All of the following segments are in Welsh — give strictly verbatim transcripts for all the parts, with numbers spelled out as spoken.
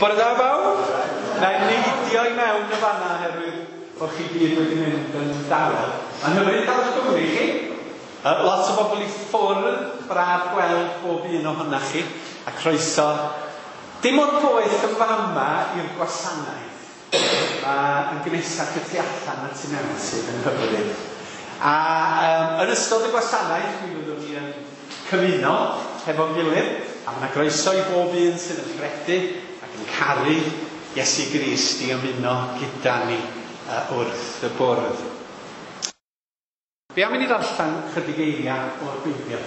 Bore da bawb. Na i neidio i mewn y fanna oherwydd bod chi gyd wedi mynd yn dawel. Mae'n hyfryd cael eich cwmni chi. Uh, lot o bobl i ffwrdd, braf gweld bob un ohonoch chi, a croeso. Dim ond boeth yn fama i'r gwasanaeth. Mae yn gnesach y tu allan a tu mewn sydd yn hyfryd. A um, yn ystod y gwasanaeth, mi fyddwn ni yn cymuno hefo'n gilydd, a mae yna groeso i bob un sydd yn credu ac yn caru Iesu Grist i ymuno gyda ni uh, wrth y bwrdd. Be am i ni ddarllen chydig eiriau o'r Beibl?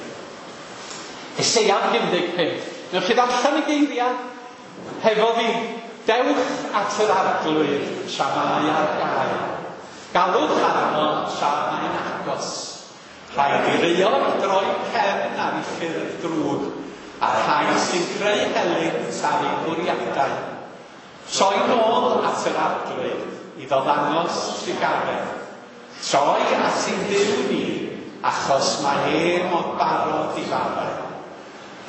Eseia pum deg pump. Newch chi ddarllen y geiriau hefo fi. Dewch at yr Arglwydd tra mae ar gael. Galwch arno tra mae'n agos. Rhaid i reor droi cefn ar ei ffyrdd drwg, a rhai sy'n creu helynt ar ei bwriadau. Troi nôl at yr Arglwydd iddo ddangos trugaredd. Troi at ein Duw ni, achos mae e mor barod i faddau.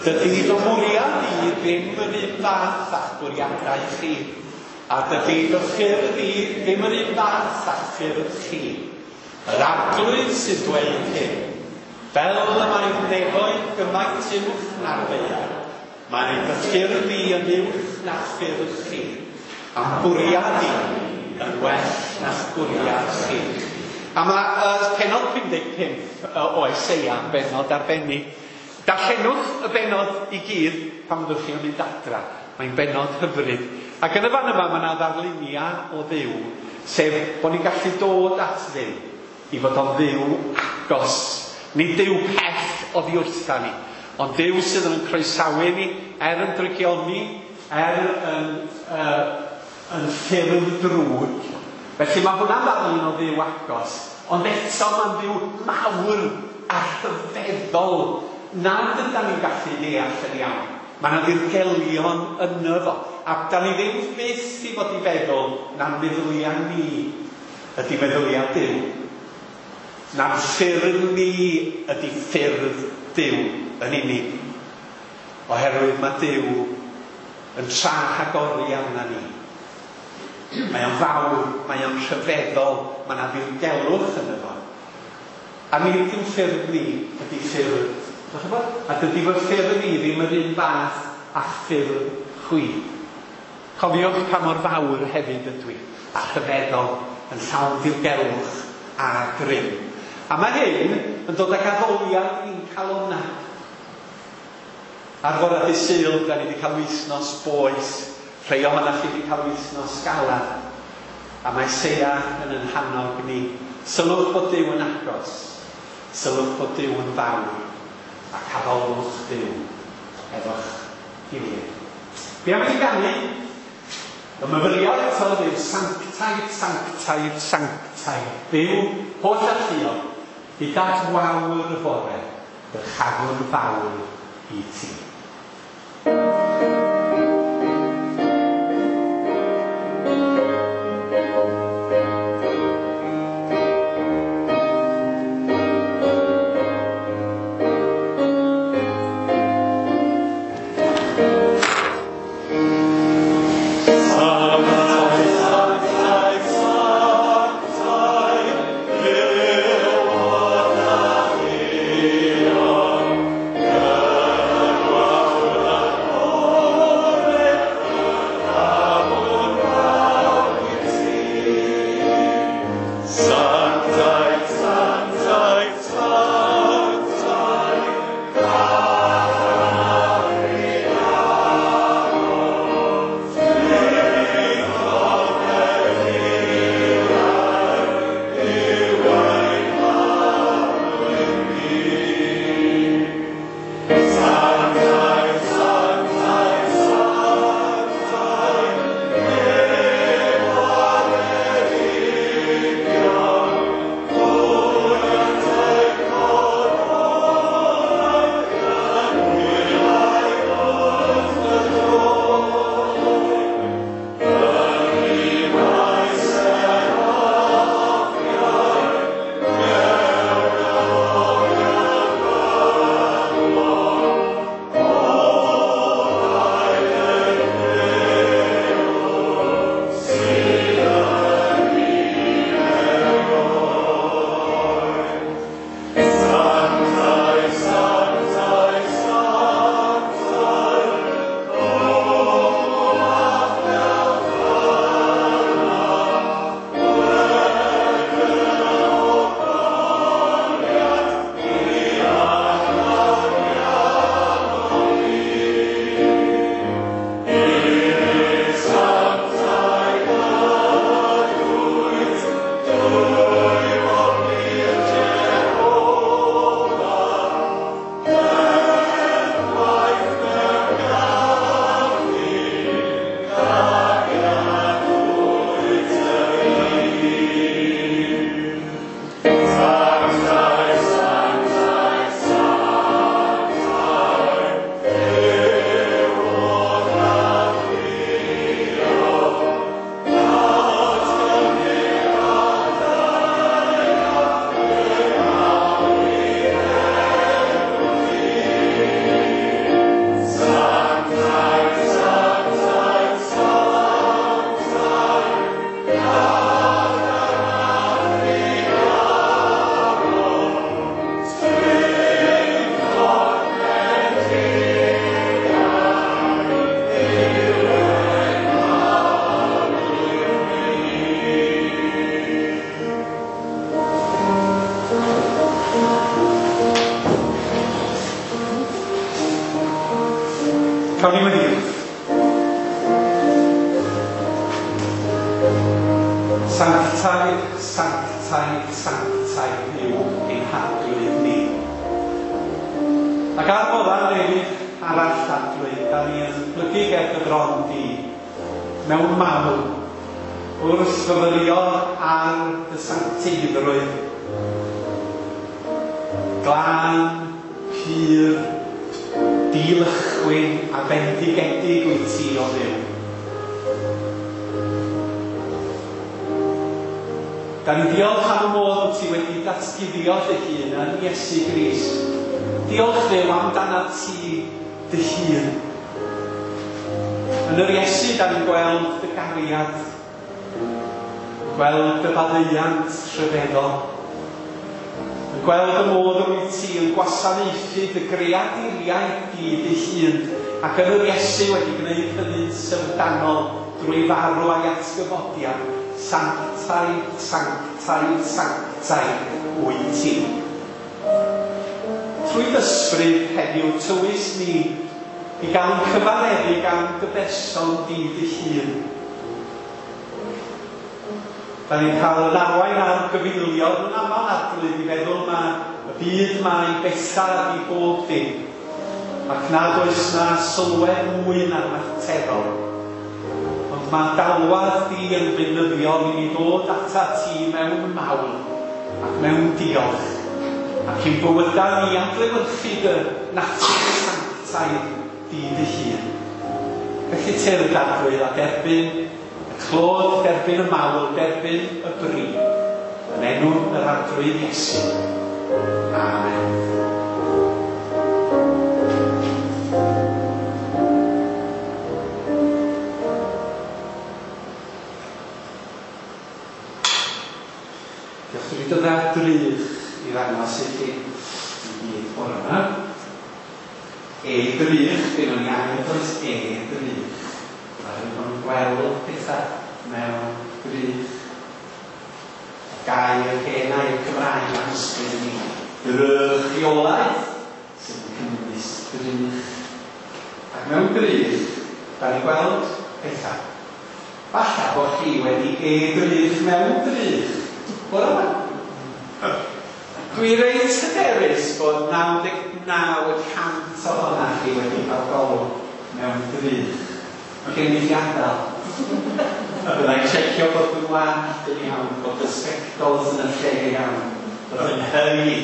Dydy fy mwriad i ddim yr un fath a'ch bwriadau chi, a dydy fy ffyrdd i ddim yr un fath a'ch ffyrdd chi. Yr Arglwydd sy'n dweud hyn, fel y mae'r nefoedd gymaint uwch na'r ddaear, mae fy ffyrdd i yn uwch na'ch ffyrdd chi, a'm bwriad i yn well na'ch bwriad chi. A mae uh, pennod pum deg pump uh, o Eseia yn bennod arbennig. Darllenwch y bennod i gyd pan fyddwch chi'n mynd adra. Mae'n bennod hyfryd. Ac yn y fan yma mae yna ddarluniau o Dduw, sef bod ni'n gallu dod at Dduw, i fod o'n Dduw agos. Nid Duw pell oddi wrtha ni, ond Duw sydd yn croesawu ni, er yn drygioni, er yn, uh, yn ffyrdd drwg. Felly mae hwnna'n ddarlun o Dduw agos, ond eto mae'n Dduw mawr a rhyfeddol nad ydyn ni'n gallu deall yn iawn. Mae yna ddirgelion yno fo. A da ni ddim byth i fod i feddwl na'n meddyliau ni ydy meddyliau Duw. Na'n ffyrdd ni ydy ffyrdd Duw yn unig. Oherwydd mae Duw yn tra-hagori arna ni. Mae o'n fawr, mae o'n rhyfeddol, mae yna ddirgelwch yno fo. A nid dim ffyrdd ni ydy ffyrdd. A dydy fy ffyrdd ni ddim yr un fath a ffyrdd chwi. Cofiwch pa mor fawr hefyd ydw i, a rhyfeddol, yn llawn dirgelwch a grym. A mae hyn yn dod ag addoliad i'n calonnau. Ar fore dydd Sul, da ni wedi cael wythnos boeth, rhai ohonoch chi wedi cael wythnos galad. A mae Eseia yn yn hannog ni. Sylwch bod Duw yn agos, sylwch bod Duw yn fawr, ac addolwch Duw efo'ch gilydd. Be am i ni ganu? Y myfyriad eto yw sanctaidd, sanctaidd, sanctaidd. Duw holl alluog, hyd at wawr y bore, dyrchafwn fawr i ti. Sanctaidd, sanctaidd, sanctaidd, Sanctaidd, sanctaidd, sanctaidd yw ein Harglwydd ni. Ac ar foddan newydd arall Arglwydd, da ni yn plygu ger dy fron di mewn mawl wrth fyfyrio ar dy sancteiddrwydd. Glân, pur, dilychwyn a bendigedig wyt ti o Dduw. Da ni diolch am y modd wyt ti wedi datguddio dy hun yn Iesu Grist. Diolch Dduw amdanat ti dy hun. Yn yr Iesu, da ni'n gweld dy gariad, gweld dy faddeuant rhyfeddol, yn gweld y modd yr wyt ti yn gwasanaethu dy greaduriaid di dy hun, ac yn yr Iesu wedi gwneud hynny'n syfrdanol drwy farw a'i atgyfodiad. Sanctaidd, sanctaidd, sanctaidd wyt ti. Trwy ysbryd heddiw tywys ni i gael yn cyfareddu gan dy berson di dy hun. Da ni'n cael yn arwain ar gyfeilion yn aml Arglwydd i feddwl ma y byd mae bethau i bob dim, ac nad oes na sylwedd mwy na'r materol. Ond mae galwad di yn beunyddiol i ni ddod atat ti mewn mawl ac mewn diolch, ac i'n bywydau ni adlewyrchu dy natur sanctaidd di dy hun. Felly tyrd Arglwydd a derbyn y clod, derbyn y mawl, derbyn y bri, yn enw yr Arglwydd Iesu. Amen. Diolch, dwi wedi dod â drych i ddangos i chi i gyd bore yma. E drych, dyn nhw'n iawn does e drych. Mae nhw'n gweld pethau mewn drych. Gair hen air Cymraeg am ysbryd ni. Drychiolaeth sydd yn cynnwys drych. Ac mewn drych, da ni'n gweld pethau. Falle bod chi wedi e drych mewn drych. Bore yma. Dwi reit hyderus bod naw deg naw y cant ohonoch chi wedi cael golwg mewn drych cyn i chi adael. Byddai'n checio bod fy ngwallt yn iawn, bod y sbectols yn y lle iawn, bod yn hy.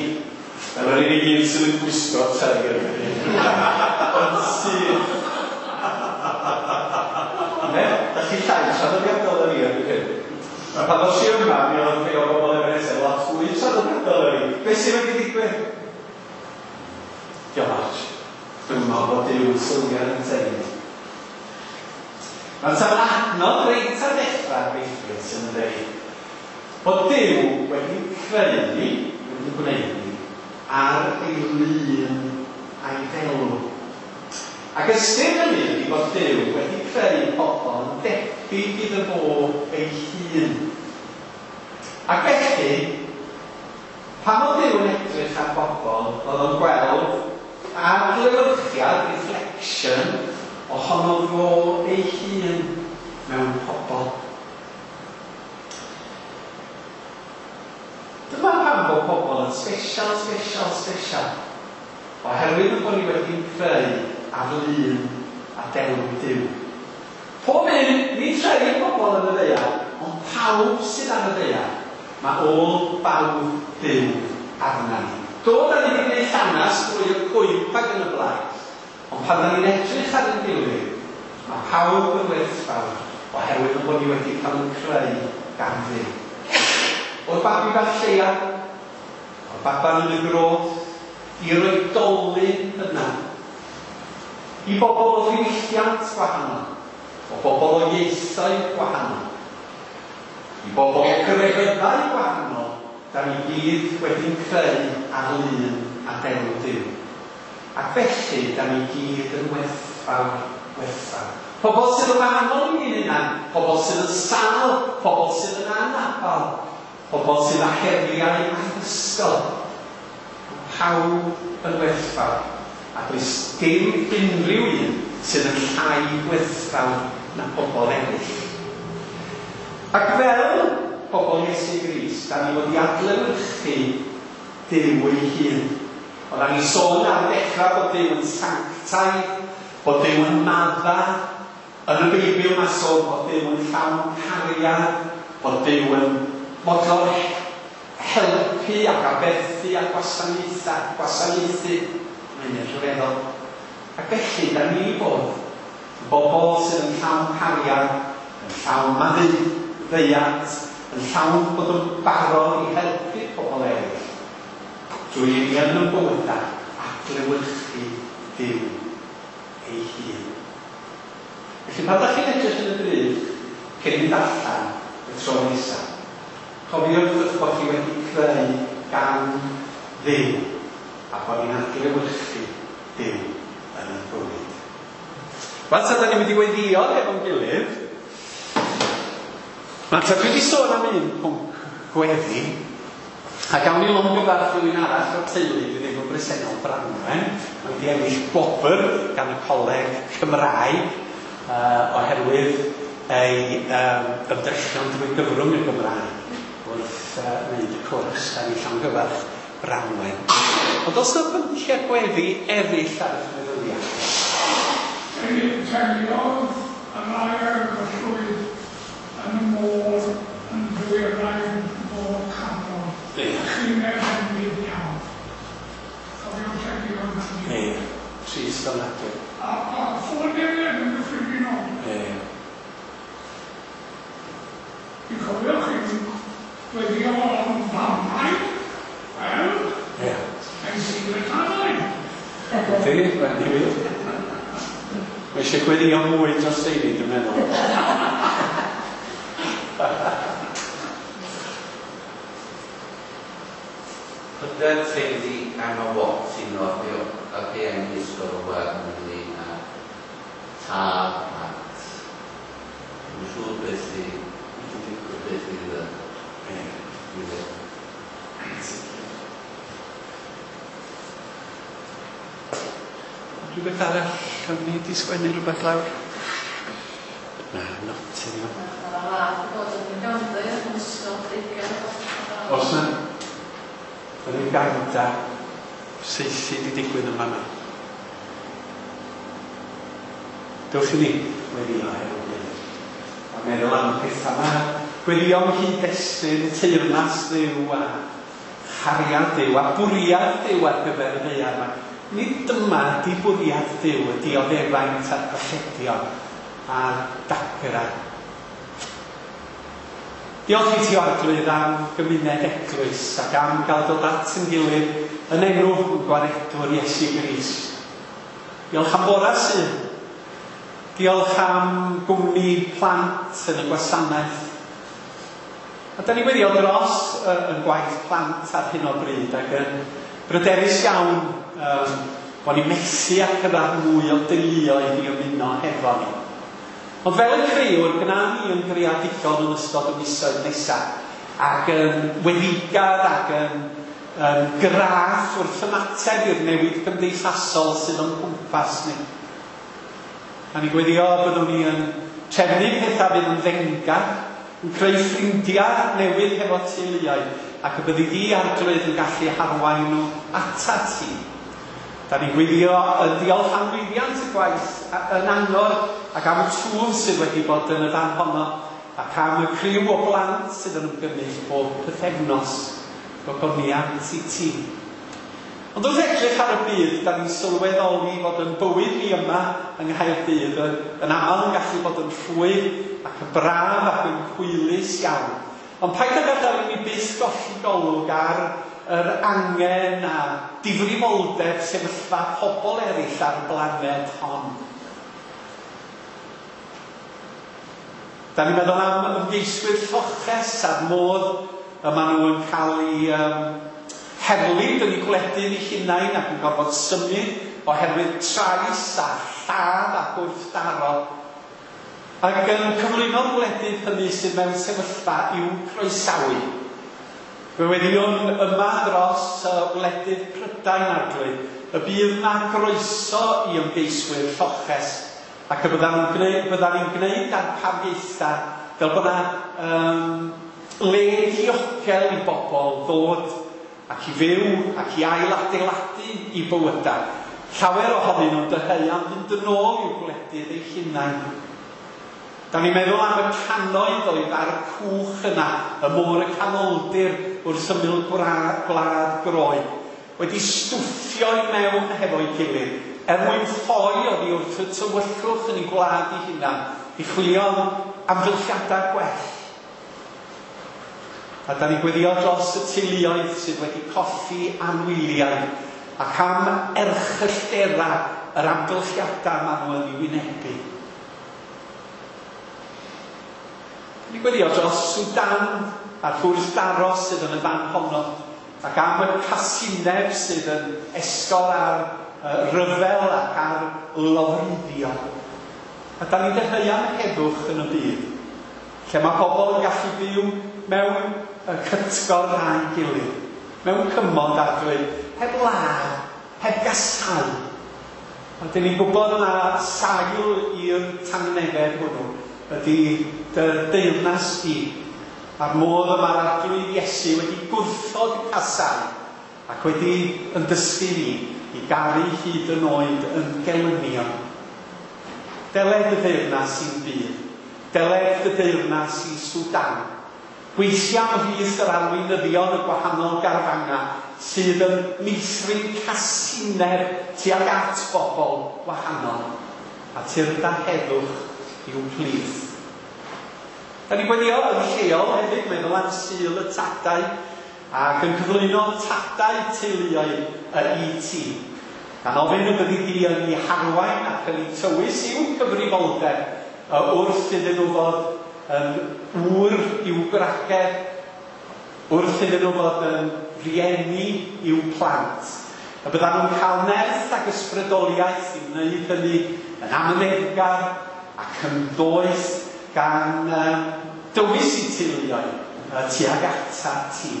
Fel yr unig un sydd yn gwisgo ty erbyn hyn. Ond sydd. Ne? Da chi llai traddodiadol yn i erbyn hyn. Pan ddos i yma, mi oedd rhai o bobl Ebenezer lot fwy traddodiadol yn i. Be sydd wedi digwydd? Diolch ots. Dwi'n meddwl bod Duw yn sylwi ar yn teulu. Mae'n safon adnod reit ar ddechrau'r Beibl sy'n yn dweud bod Duw wedi creu ni, wedi gwneud ni, ar ei lun a'i ddelw. Ac ystyr hynny ydy bod Duw wedi creu pobl yn debyg iddo fo ei hun. Ac felly, pan oedd Duw yn edrych ar bobl, oedd o'n gweld adlewyrchiad, reflection, ohono fo ei hun mewn pobl. Dyma pam bod pobl yn special, special, special. Oherwydd bod ni wedi'n creu ar lun a delw Duw. Pob un, ni'n creu pobl yn y ddaear, ond pawb sydd ar y ddaear, mae ôl bawb Duw arna ni. Do, da ni wedi gwneud llanas drwy y cwymp ac yn y blaen. Ond pan da ni'n edrych ar ein gilydd, mae pawb yn werthfawr oherwydd bod ni wedi cael yn creu gan Dduw. O'r babi bach lleia, o'r baban yn y groth, i'r oedolyn yna, i bobl o ddiwylliant gwahanol, o bobl o ieithoedd gwahanol, i bobl o grefyddau gwahanol, da ni gyd wedi'n creu ar lun a delw Duw. Ac felly, da ni gyd yn werthfawr, werthfawr. Pobl sydd yn wahanol i ni'n hunan, pobl sydd yn sâl, pobl sydd yn anabal, pobl sydd â heriau addysgol. Pawb yn werthfawr, a does dim unrhyw un sydd yn llai gwerthfawr na pobl eraill. Ac fel pobl Iesu Grist, da ni wedi adlewyrchu Duw ei hun. Oedden ni sôn ar y dechrau bod Duw yn sanctaidd, bod Duw yn madda. Yn y Beibl mae sôn bod Duw yn llawn cariad, bod Duw yn fodlon helpu ac aberthu a gwasanaethau, gwasanaethu. Mae'n rhyfeddol. Ac felly, da ni bod yn bobl sydd yn llawn cariad, yn llawn maddeuant, yn llawn bod yn barod i helpu pobl eraill drwy i ni yn y bywydau adlewyrchu Duw ei hun. Felly pan ydych chi'n edrych yn y drych cyn mynd allan y tro nesaf, cofiwch eich bod chi wedi creu gan Dduw a bod ni'n adlewyrchu Duw yn y bywyd. Wel, ta da ni'n mynd i weddïo efo'n gilydd. Mae ta dwi wedi sôn am un pwnc gweddi, a gawn ni longyfarch rhywun arall o'r teulu, dwi ddim yn bresennol, Branwen. Mae wedi ennill gwobr gan y Coleg Cymraeg uh, oherwydd ei um, ymdrechion drwy gyfrwng y Gymraeg wrth uh, wneud y cwrs. Da ni llongyfarch Branwen. Ond oes yna bynciau gweddi eraill ar eich meddyliau? Teliodd yr aer y llwyd yn y môr yn ddwyrain môr canol. Chinedd yn byd iawn. Cofio'n teliodd hynny. Ie, trist ofnadwy. A, a ffoaduriaid yn gyffredinol. Ie. Fi'n cofio chi'n gweddio am famau, wel, Ie. yn sydd y tanau. Ydy, mae'n i fi. Mae eisiau gweddio mwy dros deulu, dwi'n meddwl. Pryder teulu Emma Watt sy'n noddi y rhieni ysgol y wern ynglyn â tad plant. Dwi'n siŵr beth sydd beth sydd yn digwydd. Rhywbeth arall, o'n i wedi sgwennu rhywbeth lawr? Na, not yn iawn. Mae'r ladd bod yn Uganda yn ysgol deugain. Oes na? Yn Uganda, saethu wedi digwydd yn fan'na. Dewch i ni weddio hefo'n gilydd. A meddwl am y pethau yma. Gweddio am hyd-destun teyrnas Dduw a chariad Duw a bwriad Duw ar gyfer y ddaear yma. Nid dyma di bwriad Duw, y dioddefaint a'r colledion a'r dagrau. Diolch i ti, Arglwydd, am gymuned eglwys ac am gael dod at yn gilydd yn enw gwaredwr Iesu Grist. Diolch am bora sydd. Diolch am gwmni plant yn y gwasanaeth. A da ni weddio dros y, y gwaith plant ar hyn o bryd ac yn bryderus iawn um, bod ni'n methu a cyrraedd mwy o deuluoedd i ymuno hefo ni. Ond fel y crëwr, gwna ni yn greadigol yn ystod y misoedd nesaf, ac yn weddigar ac yn, yn graff wrth ymateb i'r newid cymdeithasol sydd o'n cwmpas ni. A ni gweddio byddwn ni yn trefnu pethau fydd yn ddengar, yn creu ffrindiau newydd hefo teuluoedd, ac y byddi di Arglwydd yn gallu harwain nhw atat ti. Da ni'n gweddio yn diolch am lwyddiant y gwaith yn angor ac am y twf sydd wedi bod yn y fan honno ac am y criw o blant sydd yn ymgynnull bob pythefnos gogoniant i ti. Ond wrth edrych ar y byd, da ni'n sylweddoli fod yn bywyd ni yma yng Nghaerdydd yn, yn aml yn gallu bod yn rhwydd ac yn braf ac yn hwylus iawn. Ond paid â gadael i ni byth golli golwg ar yr angen a difrifoldeb sefyllfa pobl eraill ar y blaned hon. Da ni'n meddwl am ymgeiswyr lloches a'r modd y maen nhw yn cael eu um, herlid yn eu gwledydd eu hunain ac yn gorfod symud oherwydd trais a lladd ac wrthdaro. Ac yn cyflwyno'r gwledydd hynny sydd mewn sefyllfa i'w croesawu. Fe weddiwn yma dros y wledydd Prydain, Arglwydd, y bydd na groeso i ymgeiswyr lloches ac y byddan nhw'n gwneud, byddan ni'n gwneud darpariaethau fel bod na um, le diogel i bobl ddod ac i fyw ac i ailadeiladu i bywydau. Llawer ohonyn nhw'n dyheu am fynd yn ôl i'w gwledydd eu hunain. Da ni'n meddwl am y cannoedd oedd ar y cwch yna, y môr y canoldir wrth ymyl gwlad Groeg, wedi stwffio i mewn hefo'i gilydd, er mwyn ffoi oddi wrth y tywyllwch yn ei gwlad ei hunan, i chwilio am amgylchiadau gwell. A da ni'n gweddio dros y teuluoedd sydd wedi colli anwyliaid ac am erchylltera yr amgylchiadau maen nhw yn ei wynebu. Ni'n gweddio dros Sudan a'r gwrthdaro sydd yn y fan honno, ac am y casineb sydd yn esgor ar uh, ryfel ac ar lofruddio. A da ni'n dyheu am heddwch yn y byd, lle mae pobl yn gallu byw mewn cytgord â'i gilydd, mewn cymod a dweud, heb ladd, heb gasau. A dyn ni'n gwybod na sail i'r tangnefedd hwnnw ydy dy deyrnas di, a'r modd y mae'r Arglwydd Iesu wedi gwrthod casau ac wedi yn dysgu ni i garu hyd yn oed yn gelynion. Deled y deyrnas i'n byd, deled y deyrnas i Sudan. Gweithia ymhlith yr arweinyddion y gwahanol garfanga sydd yn meithrin casineb tuag at bobl wahanol, a tyrd â heddwch i'w plith. Da ni'n gweddio yn lleol hefyd, meddwl am Sul y Tadau, ac yn cyflwyno tadau teuluoedd y I T. Gan ofyn y byddi di yn ei harwain ac yn ei tywys i'w cyfrifoldeb wrth iddyn nhw fod yn ŵr i'w gwragedd, wrth iddyn nhw fod yn rieni i'w plant. Y byddan nhw'n cael nerth ac ysbrydoliaeth i wneud hynny yn amyneddgar ac yn ddoeth gan um, dywys i teuluoedd uh, tuag ata ti.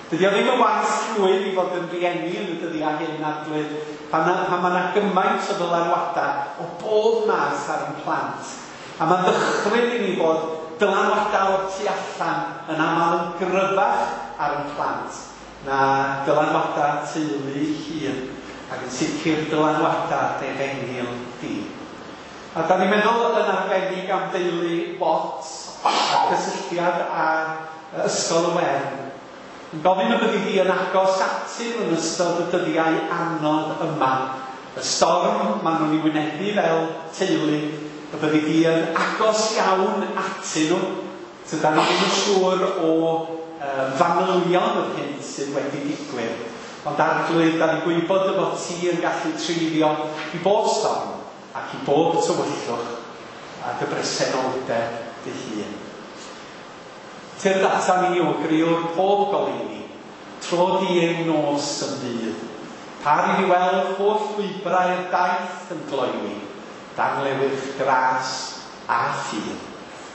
Dydy o ddim yn waith rhwydd i fod yn rieni yn y dyddiau hyn, Arglwydd, pan, pan mae yna gymaint o ddylanwadau o bob math ar ein plant. A mae'n ddychryn i ni fod dylanwadau o'r tu allan yn aml yn gryfach ar ein plant na dylanwadau teulu hun, ac yn sicr dylanwadau defengyl di. A da ni'n meddwl yn arbennig am deulu Watts a cysylltiad â Ysgol y Wern. Yn gofyn y byddi di yn agos atyn yn ystod y dyddiau anodd yma. Y storm maen nhw'n ei wynebu fel teulu, y byddi di yn agos iawn atyn nhw. Tydan ni ddim yn siŵr o uh, fanylion yr hyn sydd wedi digwydd. Ond Arglwydd, da ni'n gwybod y bod ti yn gallu treulio i bob storm ac i bob tywyllwch a dy bresenoldeb dy hun. Tyrd ata ni o griwr pob goleuni, tro di ein nos yn ddydd, par i ni weld holl lwybrau'r daith yn gloywi, dan lewyrch gras a ffydd,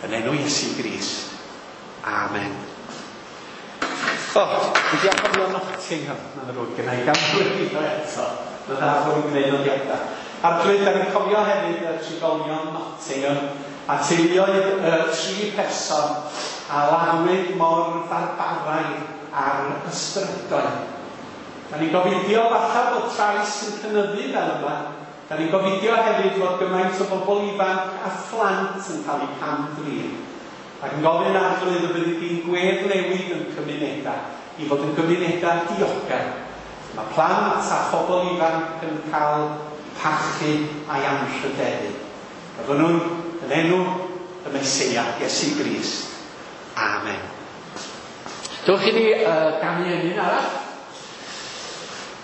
yn enw Iesu Grist. Amen. O, dwi wedi anghofio Nottingham, mae'n ddrwg gen i gan blwyddyn eto. Mae'n dda bod ni'n gwneud nodiadau. Arglwydd, da ni'n cofio hefyd y trigolion Nottingham a teuluoedd y tri person a laddwyd mor farbaraidd ar y strydoedd. Da ni'n gofidio falle bod trais yn cynyddu fel yma. Da ni'n gofidio hefyd fod gymaint o bobl ifanc a phlant yn cael eu cam-drin. Ac yn gofyn Arglwydd y byddi di'n gweddnewid yn cymunedau i fod yn gymunedau diogel. Mae plant a phobl ifanc yn cael parchu a'i anrhydeddu. Byddwn nhw'n yn enw y Meseia, Iesu Grist. Amen. Dewch i ni uh, ganu emyn arall.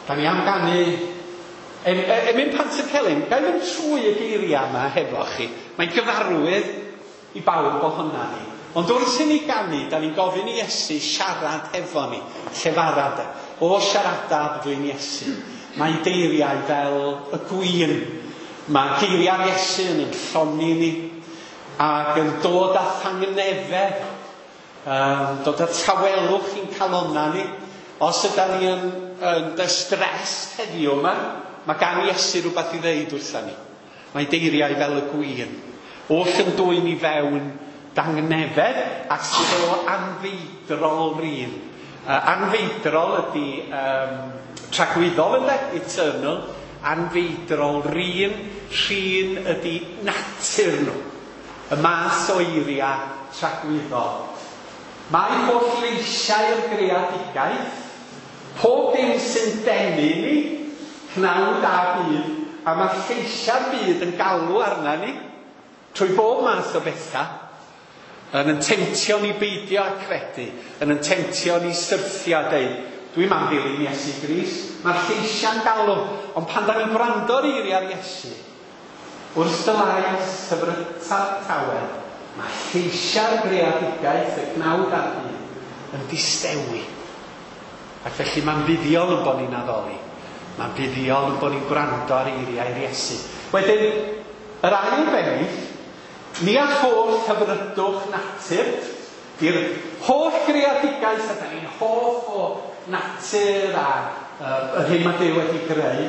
Da ni am ganu em, emyn Pantycelyn. Ga i fynd trwy y geiriau yma hefo chi. Mae'n gyfarwydd i bawb ohona ni. Ond wrth i ni ganu, da ni'n gofyn i Iesu siarad hefo ni. Llefarad. O siarada dwi'n Iesu. Mae geiriau fel y gwin. Mae geiriau'r Iesu yn lloni ni ac yn dod â thangnefedd, um, dod â tawelwch i'n calonna ni. Os ydyn ni yn, yn distressed heddiw yma, mae gan Iesu rhywbeth i ddeud wrtha ni. Mae geiriau fel y gwin. Oll yn dwyn i fewn dangnefedd ac sydd o anfeidrol rin. Uh, anfeidrol ydy um, tragwyddol ynde, eternal. Anfeidrol rin, rhin ydy natur nhw. Y math o eiriau tragwyddol. Mae holl leisiau'r greadigaeth, pob dim sy'n denu ni, cnawd a byd, a mae lleisiau'r byd yn galw arna ni, trwy bob math o bethau, yn yn temtio ni beidio a credu, yn yn temtio ni syrthio a deud, dwi'n am ddilyn Iesu Grist, mae'r lleisiau'n galw, ond pan da ni'n gwrando ar eiriau'r Iesu, wrth dy lais hyfryta'r tawel, mae lleisiau'r greadigaeth, y cnawd a'r byd, yn distewi. Ac felly mae'n fuddiol yn bod ni'n addoli. Mae'n fuddiol yn bod ni'n gwrando ar eiriau'r Iesu. Wedyn, yr ail bennill, ni all holl hyfrydwch natur, di'r holl greadigaeth, a da ni'n hoff o natur a uh, yr hyn mae Duw wedi greu,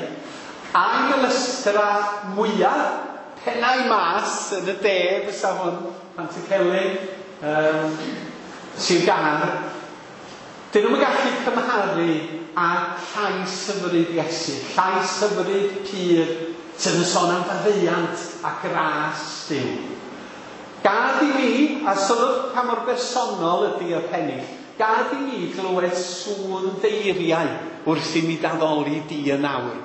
a'i melystra mwyaf, pennau mas yn y de, fysa hwn, Pantycelyn, um, Sir Gâr, dyn nhw'n gallu cymharu â llais hyfryd Iesu, llais hyfryd pur sydd yn sôn am faddeuant a gras Duw. Gad i mi, a sylwch pa mor bersonol ydy y pennill, gad i mi glywed sŵn deiriau wrth i mi daddoli di yn awr.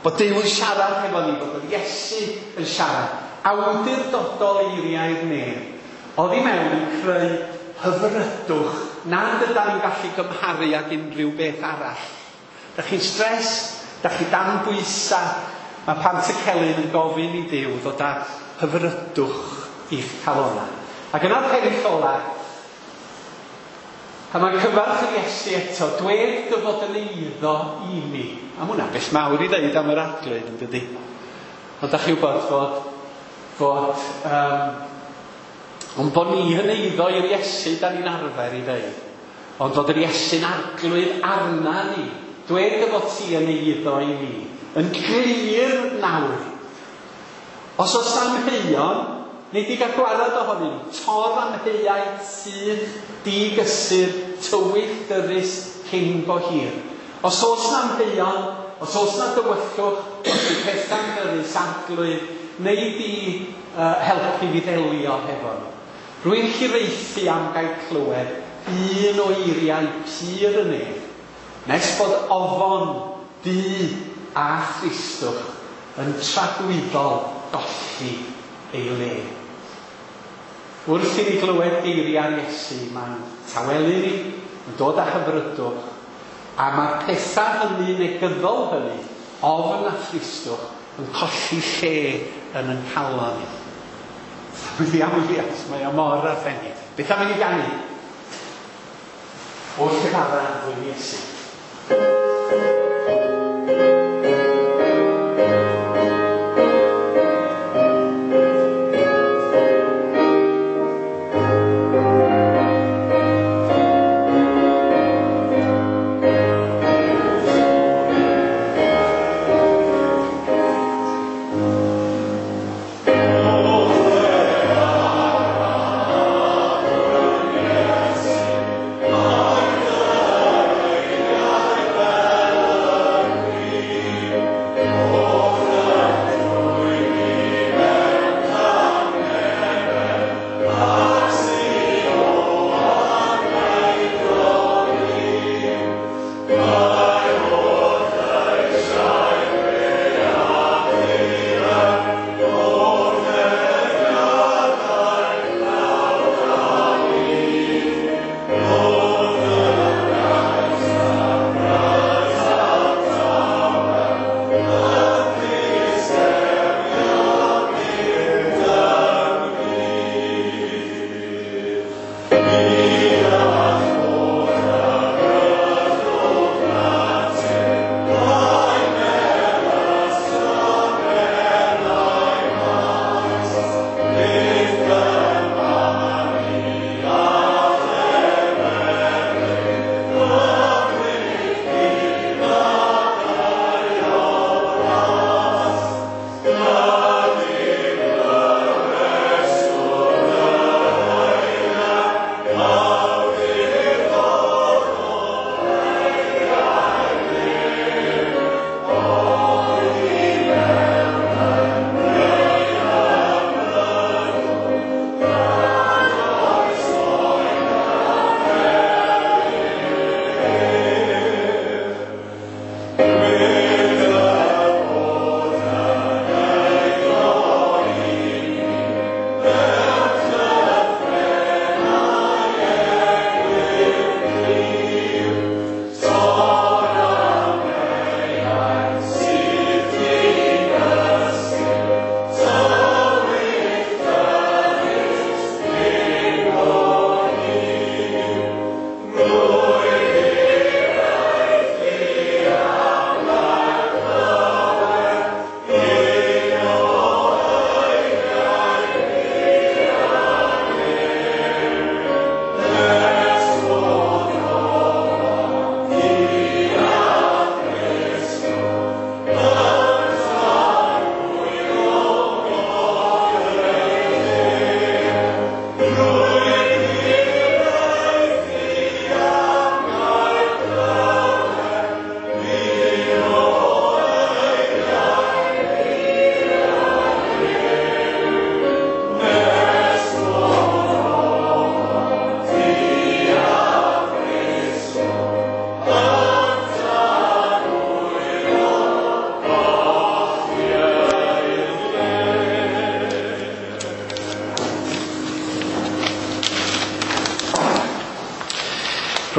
Bod Duw yn siarad hefo ni, bod yr Iesu yn siarad. Awdurdodol eiriau'r nef. Oddi mewn yn creu hyfrydwch nad ydan ni'n gallu gymharu ag unrhyw beth arall. Da chi'n stres, da chi dan bwysau, mae Pantycelyn yn gofyn i Duw ddod â hyfrydwch i'ch calona. Ac yna'r pennill ola, a mae'n cyfarch yr Iesu eto, dwed dy fod yn eiddo i mi. A ma' hwnna'n beth mawr i ddeud am yr Arglwydd, yn dydi? Ond da chi wybod fod, fod um, ond bod ni yn eiddo i'r Iesu, da ni'n arfer i ddeud. Ond fod yr Iesu'n arglwydd arna ni. Dwed dy fod ti yn eiddo i mi. Yn glir nawr. Os oes amheuon, nid i gael gwared ohonyn nhw. Tor amheuaeth sydd digysur, tywyll dyrys cyn bo hir. Os oes na amheuon, os oes na dywyllwch, os yw pethau'n ddyrys arglwydd, neu di uh, helpu fi ddelio hefo nhw. Rwy'n hiraethu am gael clywed un o eiriau pur y nef, nes bod ofon, du a thristwch yn tragwyddol golli ei le. Wrth i ni glywed geiriau'r Iesu, mae'n tawelu ni, yn dod â hyfrydwch, a mae'r pethau hynny negyddol hynny, ofn a thristwch, yn colli lle yn yn calon ni. William Williams, mae o mor arbennig. Beth am i ni ganu? O'r llefara fwy Iesu. Oh,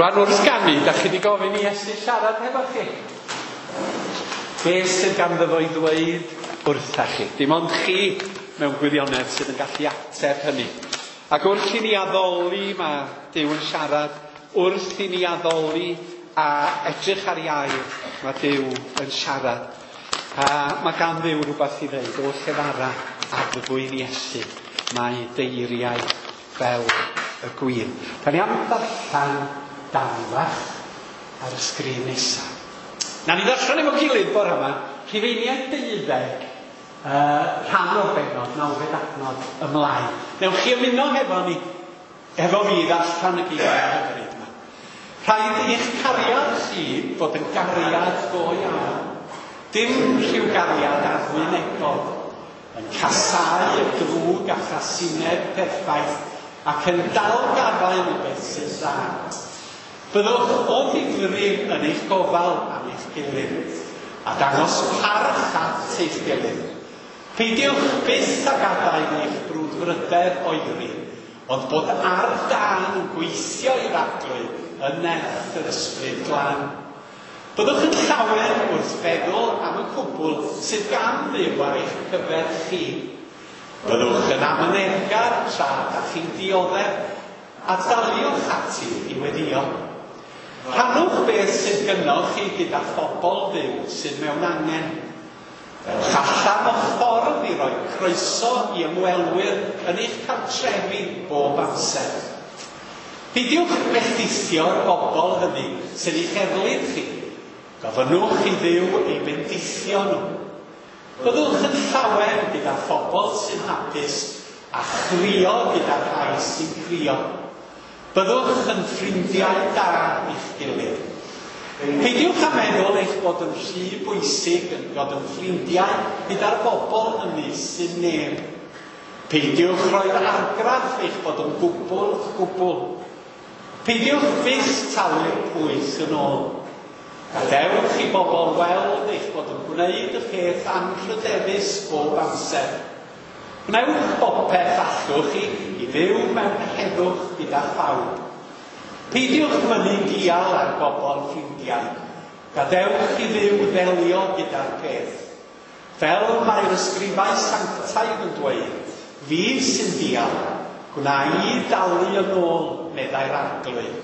Rwan wrth ganu, da chi wedi gofyn i Iesu siarad hefo chi. Be sydd ganddo fo i ddweud wrtha chi? Dim ond chi mewn gwirionedd sydd yn gallu ateb hynny. Ac wrth i ni addoli, mae Duw yn siarad. Wrth i ni addoli a edrych ar ei air, mae Duw yn siarad. A mae gan Dduw rhywbeth i ddeud o llefara addfwyn Iesu. Mae deiriau fel y gwin. Da ni am ddarllen darn fach ar y sgrin nesaf. Na ni ddarllen efo gilydd bore yma, Rhufeiniaid deuddeg, uh, rhan o'r bennod, nawfed adnod ymlaen. Newch chi ymuno hefo ni, efo fi ddarllen y geiriau hyfryd yma. Rhaid i'ch cariad chi fod yn gariad go iawn. Dim rhyw gariad arwynebol, yn casáu y drwg a chasineb perffaith ac yn dal gafael i beth sydd dda. Byddwch o ddifrif yn eich gofal am eich gilydd, a dangos parch at eich gilydd. Peidiwch byth â gadael eich brwdfrydedd oeri, ond bod ar dân yn gweithio i'r Arglwydd yn nerth yr Ysbryd Glân. Byddwch yn llawen wrth feddwl am y cwbl sydd gan Dduw ar eich cyfer chi. Byddwch yn amyneddgar tra da chi'n dioddef, a daliwch ati i weddïo. Rhannwch beth sydd gynnoch chi gyda phobl Dduw sydd mewn angen. Dewch allan o'ch ffordd i roi croeso i ymwelwyr yn eich cartrefi bob amser. Peidiwch bendithio'r bobl hynny sy'n eich erlid chi. Gofynnwch i Dduw eu bendithio nhw. Byddwch yn llawen gyda phobl sy'n hapus a chrio gyda rhai sy'n crio. Byddwch yn ffrindiau da i'ch gilydd. Peidiwch â meddwl eich bod yn rhy bwysig yn bod yn ffrindiau gyda'r bobl hynny sy'n neb. Peidiwch roi'r argraff eich bod yn gwbl gwbl. Peidiwch fyth talu'r pwyll yn ôl. Gadewch i bobl weld eich bod yn gwneud y peth anrhydeddus bob amser. Gwnewch bopeth allwch chi i fyw mewn heddwch gyda phawb. Peidiwch mynnu dial ar bobl ffrindiau. Gadewch i Dduw ddelio gyda'r peth. Fel mae'r ysgrifau sanctaidd yn dweud, fi sy'n dial, gwna i dalu yn ôl, meddai'r Arglwydd.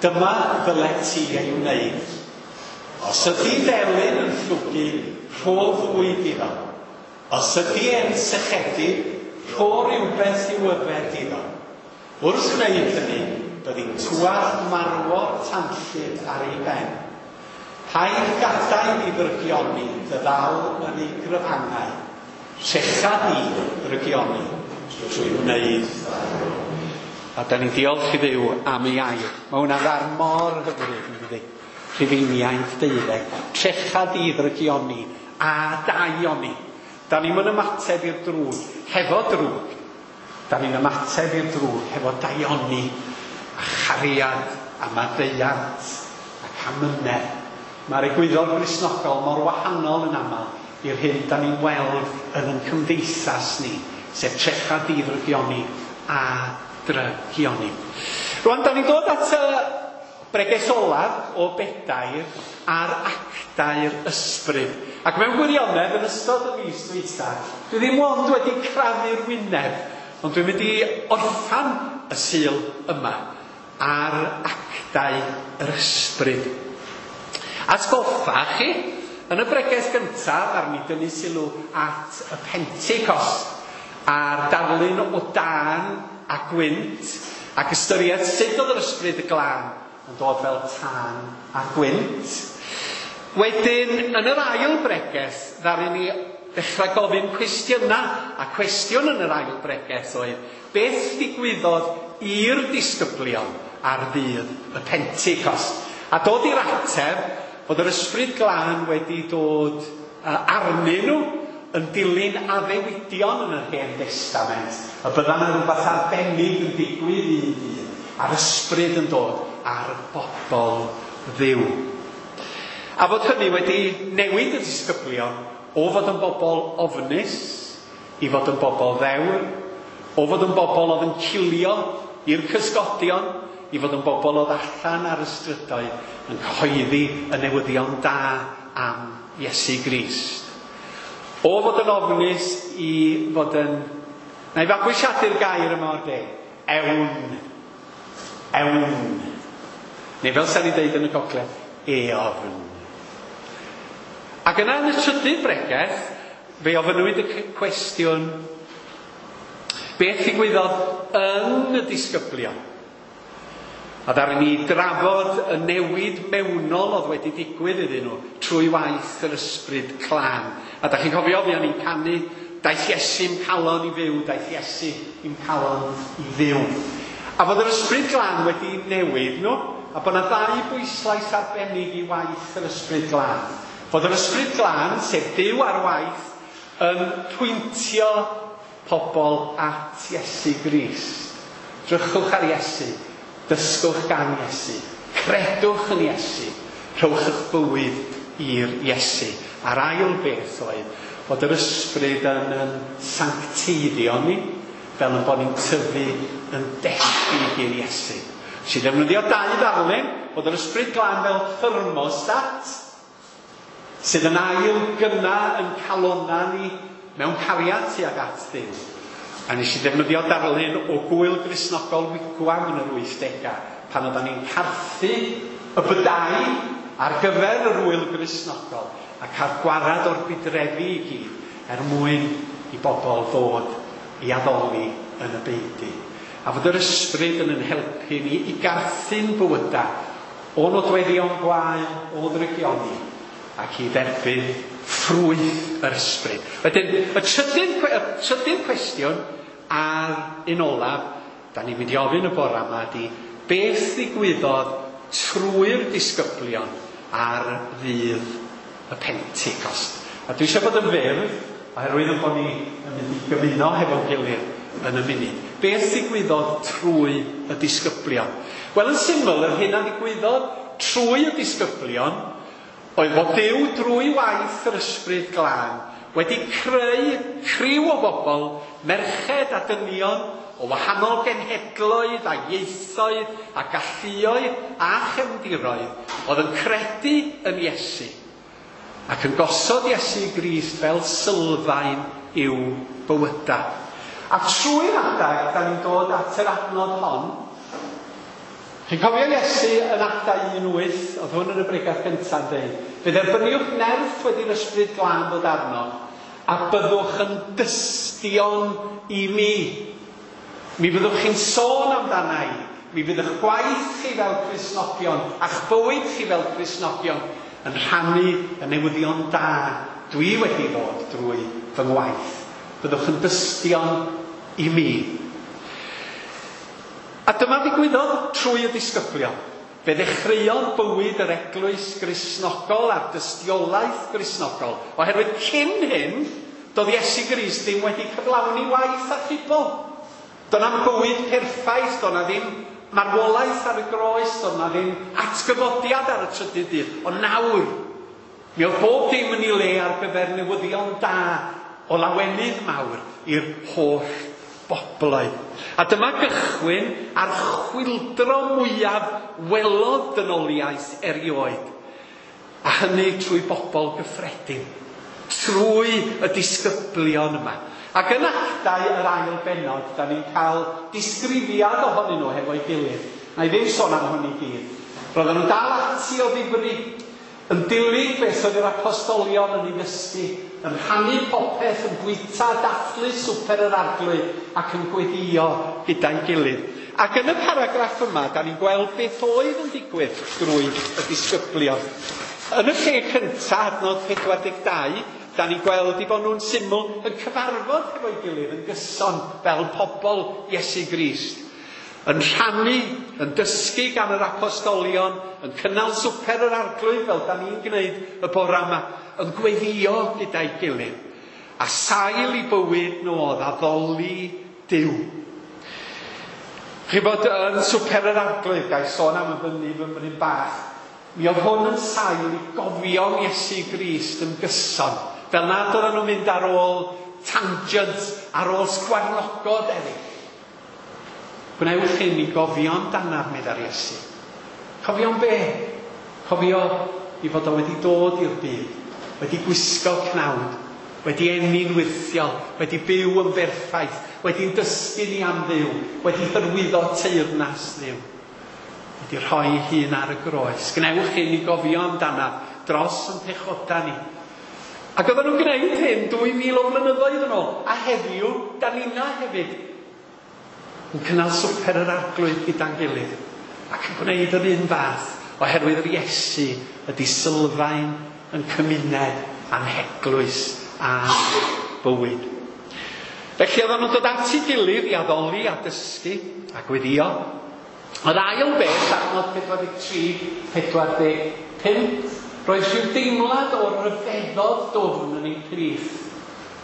Dyma ddylet ti ei wneud. Os ydy delyn yn llwgu, rho fwyd iddo. Os ydy e'n sychedu, rho rywbeth i'w yfed iddo. Wrth wneud hynny, byddi'n twall marwor tanllyd ar ei ben. Paid gadael i ddrygioni dy ddal yn ei gryfangau. Trecha di ddrygioni trwy wneud. A da ni'n diolch i Dduw am ei air. Mae hwnna'n ddarn mor hyfryd, yn dydi? Rhufeiniaid deuddeg. Trecha di ddrygioni a daioni. Da ni'n mynd ymateb i'r drwg hefo drwg. Da ni'n ymateb i'r drwg hefo daioni a chariad a maddeuant ac amynedd. Mae'r egwyddor Gristnogol mor wahanol yn aml i'r hyn da ni'n weld yn ein cymdeithas ni sef trecha di-ddrygioni a drygioni. Rwan, da ni'n dod at y bregeth olaf o bedair ar actau'r ysbryd. Ac mewn gwirionedd, yn ystod y mis dwytha, dwi ddim ond wedi crafu'r wyneb, ond dwi'n mynd i orffan y Sul yma ar actau yr ysbryd. Atgoffa chi, yn y bregeth gyntaf, arni dynnu sylw at y Pentecost, a'r darlun o dân a gwynt, ac ystyried sut oedd yr ysbryd y glân yn dod fel tân a gwynt. Wedyn, yn yr ail bregeth, ddaru ni ddechrau gofyn cwestiynau, a cwestiwn yn yr ail bregeth oedd, beth ddigwyddodd i'r disgyblion ar ddydd y Pentecost? A dod i'r ateb bod yr ysbryd glân wedi dod arnyn nhw yn dilyn addewidion yn yr Hen Destament, y bydda yna rhywbeth arbennig yn digwydd un dydd, a'r ysbryd yn dod ar bobl Dduw. A fod hynny wedi newid y disgyblion o fod yn bobl ofnus i fod yn bobl ddewr, o fod yn bobl oedd yn cilio i'r cysgodion, i fod yn bobl oedd allan ar y strydoedd yn cyhoeddi y newyddion da am Iesu Grist. O fod yn ofnus i fod yn... Na i fabwysiadu'r gair yma o'r de. Ewn. Ewn. Neu fel sa'n ei ddeud yn y gogledd, eofn. Ac yna yn y trydydd bregeth, fe ofynnwyd y cwestiwn, beth ddigwyddodd yn y disgyblion? A ddaru ni drafod y newid mewnol oedd wedi digwydd iddyn nhw trwy waith yr ysbryd glân. A da chi'n cofio, fuon ni'n canu, daeth Iesu i'm calon i fyw, daeth Iesu i'm calon i fyw. A fod yr ysbryd glân wedi newid nhw, a bod yna ddau bwyslais arbennig i waith yr ysbryd glân. Fod yr ysbryd glân, sef Duw ar waith, yn pwyntio pobl at Iesu Grist. Drychwch ar Iesu, dysgwch gan Iesu, credwch yn Iesu, rhowch eich bywyd i'r Iesu. A'r ail beth oedd bod yr ysbryd yn, yn sancteiddio ni, fel yn bod ni'n tyfu yn debyg i'r Iesu. Nes i ddefnyddio dau ddarlun, bod yr ysbryd glân fel thermostat, sydd yn ail gynna yn calonna ni mewn cariad tuag at Dduw. A nes i ddefnyddio darlun o gwyl Gristnogol Wigwam yn yr wythdegau, pan oedden ni'n carthu y bydau ar gyfer yr wyl Gristnogol a cael gwarad o'r bydrefi i gyd er mwyn i bobl ddod i addoli yn y beudy. A fod yr ysbryd yn yn helpu ni i garthu'n bywydau o nodweddion gwael, o ddrygioni, ac i dderbyn ffrwyth yr ysbryd. Wedyn, y trydydd, y trydydd cwestiwn a'r un olaf, da ni'n mynd i ofyn y bore yma ydi, beth ddigwyddodd trwy'r disgyblion ar ddydd y Pentecost? A dwi eisiau bod yn fyr, oherwydd yn bod ni yn mynd i gymuno hefo'n gilydd yn y munud. Beth ddigwyddodd trwy y disgyblion? Wel, yn syml, yr hyn a ddigwyddodd trwy y disgyblion oedd fod Duw drwy waith yr ysbryd glân wedi creu criw o bobl, merched a dynion o wahanol genhedloedd a ieithoedd a galluoedd a chefndiroedd oedd yn credu yn Iesu ac yn gosod Iesu Grist fel sylfaen i'w bywydau. A trwy'r adag, da ni'n dod at yr adnod hon. Chi'n cofio Iesu yn Actau un wyth, oedd hwn yn y bregath gyntaf yn dweud, fe dderbyniwch nerth wedi'r ysbryd glân ddod arno, a byddwch yn dystion i mi. Mi fyddwch chi'n sôn amdana i, mi fydd eich gwaith chi fel Cristnogion, a'ch bywyd chi fel Cristnogion, yn rhannu y newyddion da dwi wedi ddod drwy fy ngwaith. Byddwch yn dystion i mi. A dyma ddigwyddodd trwy y disgyblion. Fe ddechreuodd bywyd yr eglwys Gristnogol a'r dystiolaeth Gristnogol, oherwydd cyn hyn, doedd Iesu Grist ddim wedi cyflawni waith achubol. Doedd na'm bywyd perffaith, doedd na ddim marwolaeth ar y groes, doedd na ddim atgyfodiad ar y trydydd dydd. Ond nawr, mi oedd bob dim yn ei le ar gyfer newyddion da o lawenydd mawr i'r holl bobloedd. A dyma gychwyn ar chwyldro mwyaf welodd dynoliaeth erioed. A hynny trwy bobl gyffredin, trwy y disgyblion yma. Ac yn Actau yr ail bennod, da ni'n cael disgrifiad ohonyn nhw hefo'i gilydd. Na i ddim sôn am hwn i gyd. Roedden nhw'n dal ati o ddifri, yn dilyn beth oedd yr apostolion yn ei ddysgu, yn rhannu popeth, yn bwyta, dathlu swper yr Arglwydd ac yn gweddio gyda'i gilydd. Ac yn y paragraff yma, da ni'n gweld beth oedd yn digwydd drwy y disgyblion. Yn y lle cyntaf, adnod pedwar deg dau, da ni'n gweld i bod nhw'n syml yn cyfarfod hefo'i gilydd yn gyson fel pobl Iesu Grist. Yn rhannu, yn dysgu gan yr apostolion, yn cynnal swper yr Arglwydd fel da ni'n gwneud y bore yma, yn gweddio gyda'i gilydd. A sail i bywyd nhw oedd addoli Duw. Chi bod yn swper yr Arglwydd, gael sôn am y fyny fy mryn bach, mi oedd hwn yn sail i gofio Iesu Grist yn gyson, fel nad oedden nhw'n mynd ar ôl tangent, ar ôl sgwarnogod eraill. Gwnewch hyn i gofio amdanaf, meddai'r Iesu. Cofio'n be? Cofio i fod o wedi dod i'r byd, wedi gwisgo cnawd, wedi eni'n wyrthiol, wedi byw yn berffaith, wedi'n dysgu ni am Dduw, wedi hyrwyddo teyrnas Dduw, wedi rhoi hun ar y groes. Gwnewch hyn i gofio amdanaf dros yn pechoda ni. Ac oedden nhw'n gwneud hyn dwy fil o flynyddoedd yn ôl, a heddiw, da ni'na hefyd, yn cynnal swper yr Arglwydd gyda'n gilydd, ac yn gwneud yr un fath, oherwydd yr Iesu ydy sylfaen yn cymuned a'n heglwys a'n bywyd. Felly oedden nhw'n dod at ei gilydd i addoli a dysgu a gweddio. Yr ail beth, adnod pedwar deg tri, pedwar deg pump, roedd rhyw deimlad o ryfeddod dwfn yn eu plith.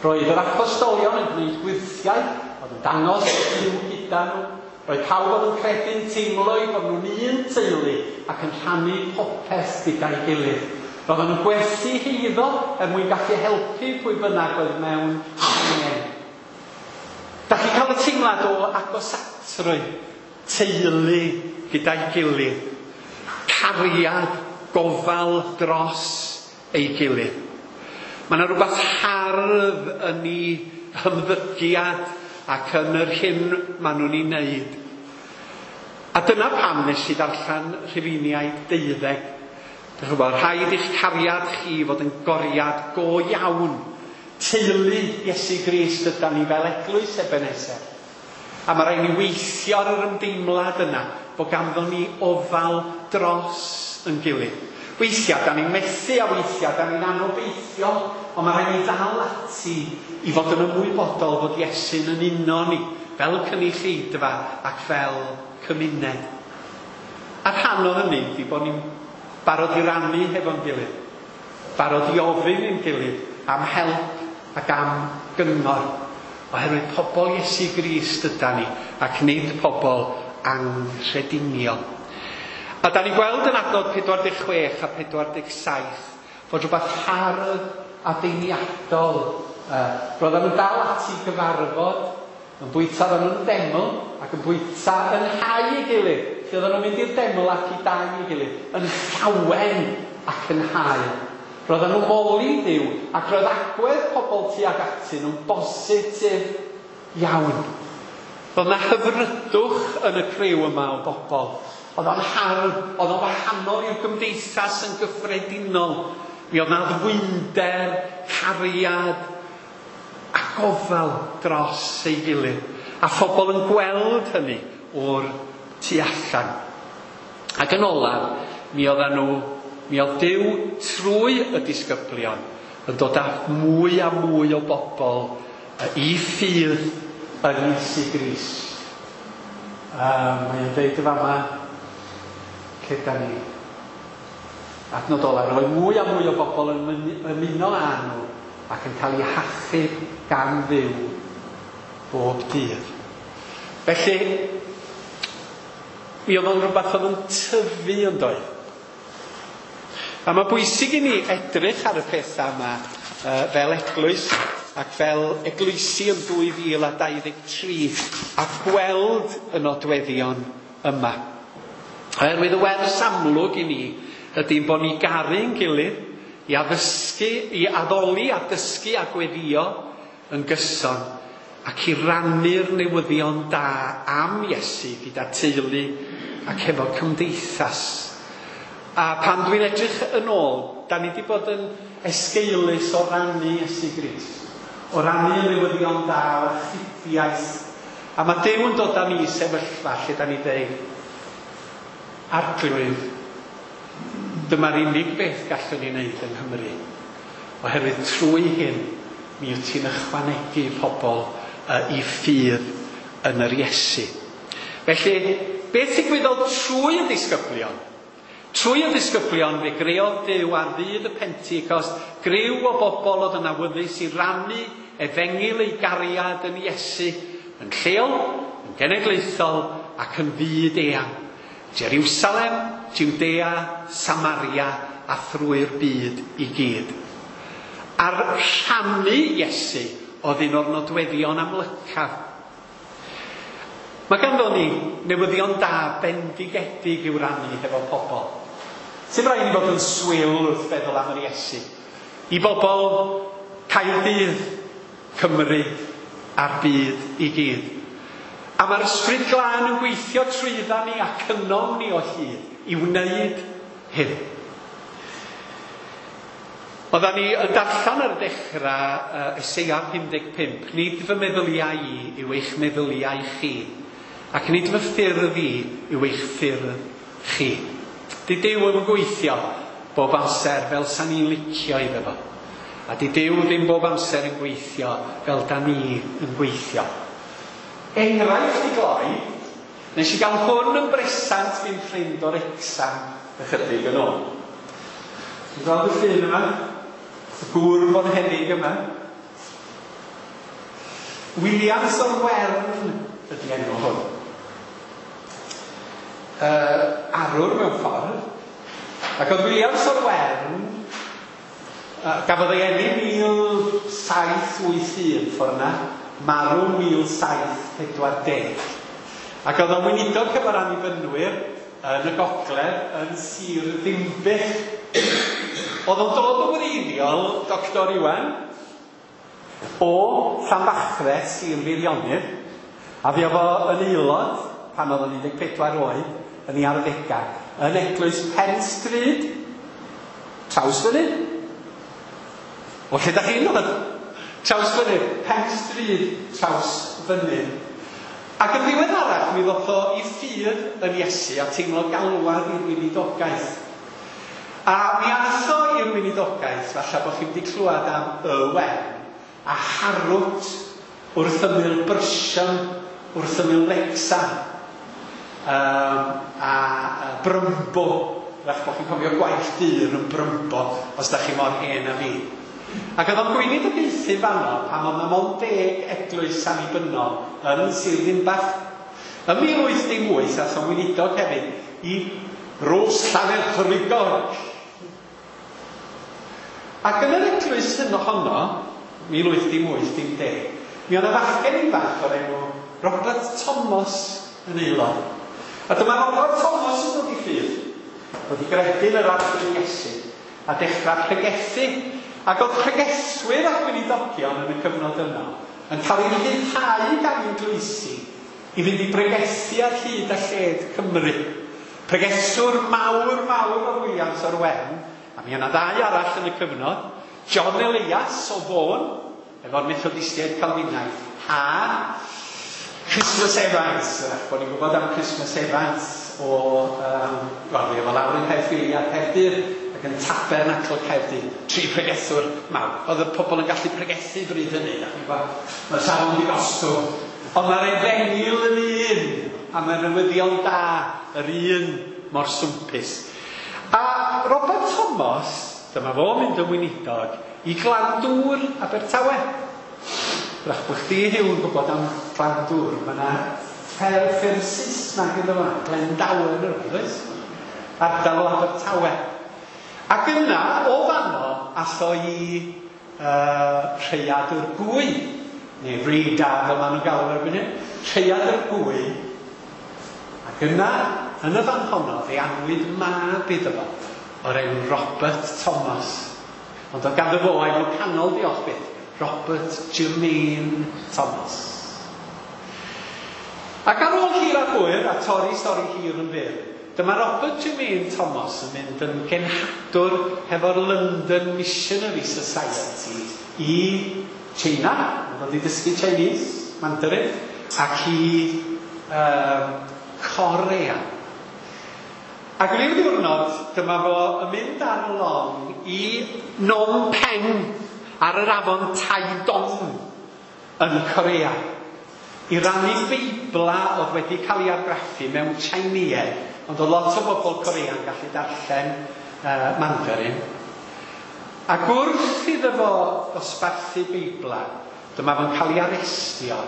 Roedd yr apostolion yn gwneud gwyrthiau, oedd yn dangos Duw gyda nhw. Roedd pawb oedd yn credu'n teimlo eu bod nhw'n un teulu ac yn rhannu popeth gyda'i gilydd. Roedden nhw'n gwerthu heiddo er mwyn gallu helpu pwy bynnag oedd mewn angen. Da chi'n cael y teimlad o agosatrwydd, teulu gyda'i gilydd, cariad, gofal dros ei gilydd. Mae yna rhywbeth hardd yn ei hymddygiad ac yn yr hyn maen nhw'n ei wneud. A dyna pam nes i ddarllen Rhufeiniaid deuddeg. Dych chi'n gwybod, rhaid i'ch cariad chi fod yn goriad go iawn. Teulu Iesu Grist ydan ni fel eglwys Ebenezer. A mae rhaid ni weithio ar yr ymdeimlad yna bod ganddo ni ofal dros yn gilydd. Weithiau, da ni'n methu a weithiau, da ni'n anobeithio, ond mae rhaid ni ddal ati i fod yn ymwybodol fod Iesu'n yn uno ni, fel cynulleidfa ac fel cymuned. A rhan o hynny ydy bod ni'n barod i rannu hefo'n gilydd, barod i ofyn i'n gilydd am help ac am gyngor, oherwydd pobl Iesu Grist yda ni, ac nid pobl anghrediniol. A da ni'n gweld yn adnod pedwar deg chwech a pedwar deg saith fod rhywbeth hardd a deiniadol. Uh, roedden nhw'n dal ati gyfarfod, yn bwyta oedden nhw'n deml, ac yn bwyta yn hau ei gilydd. Lle oedden nhw'n mynd i'r deml ac i dau ei gilydd, yn llawen ac yn hael. Roedden nhw'n moli Duw, ac roedd agwedd pobl tuag atyn nhw'n bositif iawn. Roedd yna hyfrydwch yn y criw yma o bobl. Oedd o'n hardd, oedd o'n wahanol i'w gymdeithas yn gyffredinol. Mi oedd 'na ddwynder, cariad a gofal dros ei gilydd. A phobl yn gweld hynny o'r tu allan. Ac yn olaf, mi oedden nhw, mi oedd Duw trwy y disgyblion yn dod â mwy a mwy o bobl i ffydd yn Iesu Grist. Um, mae'n dweud y fama, lle da ni? Adnod olaf, roedd mwy a mwy o bobl yn ymuno â nhw ac yn cael eu hachub gan Dduw bob dydd. Felly, mi oedd o'n rhywbeth oedd yn tyfu yn doedd. A mae bwysig i ni edrych ar y pethau yma uh, fel eglwys. ac fel eglwysi yn dwy fil a dau ddeg tri a gweld y nodweddion yma. Oherwydd y wers amlwg i ni ydy bod ni garu'n gilydd, i addysgu, i addoli a dysgu a gweddio yn gyson, ac i rannu'r newyddion da am Iesu gyda teulu ac efo cymdeithas. A pan dwi'n edrych yn ôl, da ni wedi bod yn esgeulus o rannu Iesu Grist, o rannu y newyddion da, o achubiaeth. A mae Duw yn dod â ni i sefyllfa lle da ni dweud, Arglwydd, dyma'r unig beth gallwn ni wneud yng Nghymru. Oherwydd trwy hyn, mi wyt ti'n ychwanegu pobl uh, i ffydd yn yr Iesu. Felly, beth ddigwyddodd trwy y disgyblion? Trwy y disgyblion fe greodd Duw ar ddydd y Pentecost griw o bobl oedd yn awyddus i rannu efengyl ei gariad yn Iesu yn lleol, yn genedlaethol ac yn fyd eang. Jerusalem, Judea, Samaria a thrwy'r byd i gyd. A'r rhannu Iesu oedd un o'r nodweddion amlycaf. Mae ganddo ni newyddion da bendigedig i'w rannu hefo pobl. Sy'n rhaid i fod yn swil wrth feddwl am yr Iesu. I bobl Caerdydd, Cymru a'r byd i gyd. A mae'r Ysbryd Glân yn gweithio trwydda ni ac ynom ni o hyd i wneud hyn. Oeddan ni yn darllen ar y dechrau uh, Eseia pum deg pump. Nid fy meddyliau i yw eich meddyliau chi, ac nid fy ffyrdd i yw eich ffyrdd chi. Di Duw yn gweithio bob amser fel sa ni'n licio iddo fo. A di Duw ddim bob amser yn gweithio fel da ni yn gweithio. Enghraifft i gloi, nes i gael hwn yn bresant fi'n ffrind o'r Wrecsam ychydig yn ôl. Ti'n gweld y llun yma? Y gŵr bonheddig yma. Williams o'r Wern ydy enw hwn. Uh, arwr mewn ffordd. Ac oedd Williams o'r Wern, uh, gafodd ei eni mil saith wyth un ffordd yna, marw mil saith pedwar deg. Ac oedd o'n weinidog hefo'r Annibynwyr yn y gogledd yn Sir Ddinbych. Oedd o'n dod o wreiddiol, Doctor Iwan, o Llanfachreth, Sir Feirionnydd, a fuodd o yn aelod pan oedd o'n un deg pedwar oed yn ei arddegau, yn eglwys Pen Stryd, Trawsfynydd. O lle da chi'n dod? Trawsfynydd, Pen Stryd, Trawsfynydd. Ac yn ddiweddarach mi ddoth o i ffydd yn Iesu a teimlo galwad i'r weinidogaeth. A mi ath o i'r weinidogaeth, falle bod chi wedi clywed am y Wern, a Harwt wrth ymyl Brysian, wrth ymyl Wrecsam, um, a, a Brymbo. Wrach bod chi'n cofio gwaith dur yn Brymbo, os da chi mor hen a fi. Ac oedd o'n gweinidogaethu fanno pan oedd 'na mond deg eglwys annibynnol yn Sir Ddinbych. Ym mil wyth dim wyth ath o'n weinidog hefyd i Rhos Llannerch-y-Rhigog. Ac yn yr eglwys hyn ohono, mil wyth dim wyth dim deg, mi oedd 'na fachgen ifanc o'r enw Robert Thomas yn aelod. A dyma Robert Thomas yn dod i ffydd, dod i gredu yn yr Arglwydd Iesu, a dechrau pregethu. Ac oedd pregethwyr a gweinidogion yn y cyfnod yno yn cael eu rhyddhau gan eglwysi i fynd i bregethu ar hyd a lled Cymru. Pregethwr mawr, mawr o Williams o'r Wern, a mi yna ddau arall yn y cyfnod, John Elias o Fôn, efo'r Methodistiaid Calfinaidd, a Christmas Evans. Ydych bod ni'n gwybod am Christmas Evans o, um, wel, fi efo lawr yn Caerffili a Caerdydd, ac yn Tabernacl Caerdydd, tri pregethwr mawr. Oedd y pobl yn gallu pregethu bryd hynny, da chi'n gwybod, mae'r safon wedi gostwng. Ond mae'r efengyl yn un, a mae'r newyddion da yr un mor swmpus. A Robert Thomas, dyma fo mynd yn weinidog, i Glandŵr, Abertawe. Wrach bod chdi Huw yn gwybod am Glandŵr, mae yna ffyrdd Saesneg iddo fo, Glendower yn rhywbeth, oes? Ardal o Abertawe. Ac yna, o fanno, ath o i uh, Rhaeadr Gwy, neu Rida fel maen nhw'n galw erbyn hyn, Rhaeadr Gwy. Ac yna, yn y fan honno, fe anwyd mab iddo fo, o'r enw Robert Thomas. Ond oedd ganddo fo enw canol, diolch byth, Robert Jermaine Thomas. Ac ar ôl hir a hwyr, a torri stori hir yn fyr, dyma Robert Jermaine Thomas yn mynd yn genhadwr hefo'r London Missionary Society i China. Oedd wedi dysgu Chinese, Mandarin, ac i um, Corea. Ac ryw ddiwrnod, dyma fo yn mynd ar long i Phnom Penh ar yr afon Taedong yn Corea i rannu Beibla oedd wedi cael ei argraffu mewn Chinese, ond oedd lot o bobl Corea'n gallu darllen uh, Mandarin. Ac wrth iddo fo ddosbarthu Beibla, dyma fo'n cael ei arestio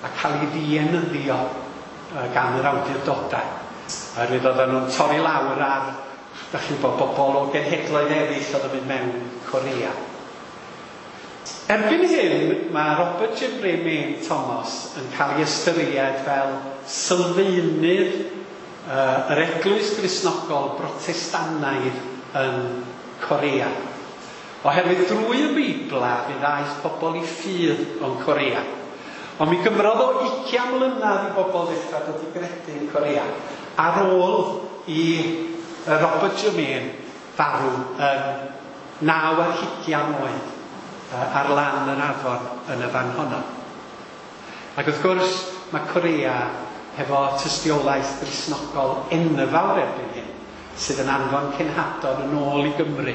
a cael ei ddienyddio uh, gan yr awdurdodau. Oherwydd oedden nhw'n torri lawr ar, da chi'n gwybod, bobl o genhedloedd eraill oedd yn mynd mewn Corea. Erbyn hyn, mae Robert Jermaine Thomas yn cael ei ystyried fel sylfaenydd uh, yr Eglwys Gristnogol Brotestannaidd yn Corea. Oherwydd drwy y Beibla fe ddaeth pobl i ffydd o'n Corea. Ond mi gymrodd o ugain mlynedd i bobl ddechrau dod i gredu yn Corea ar ôl i Robert Jermaine farw yn naw ar hugain oed ar lan yr afon yn y fan honno. Ac wrth gwrs mae Corea hefo tystiolaeth Gristnogol enfawr erbyn hyn sydd yn anfon cenhadon yn ôl i Gymru.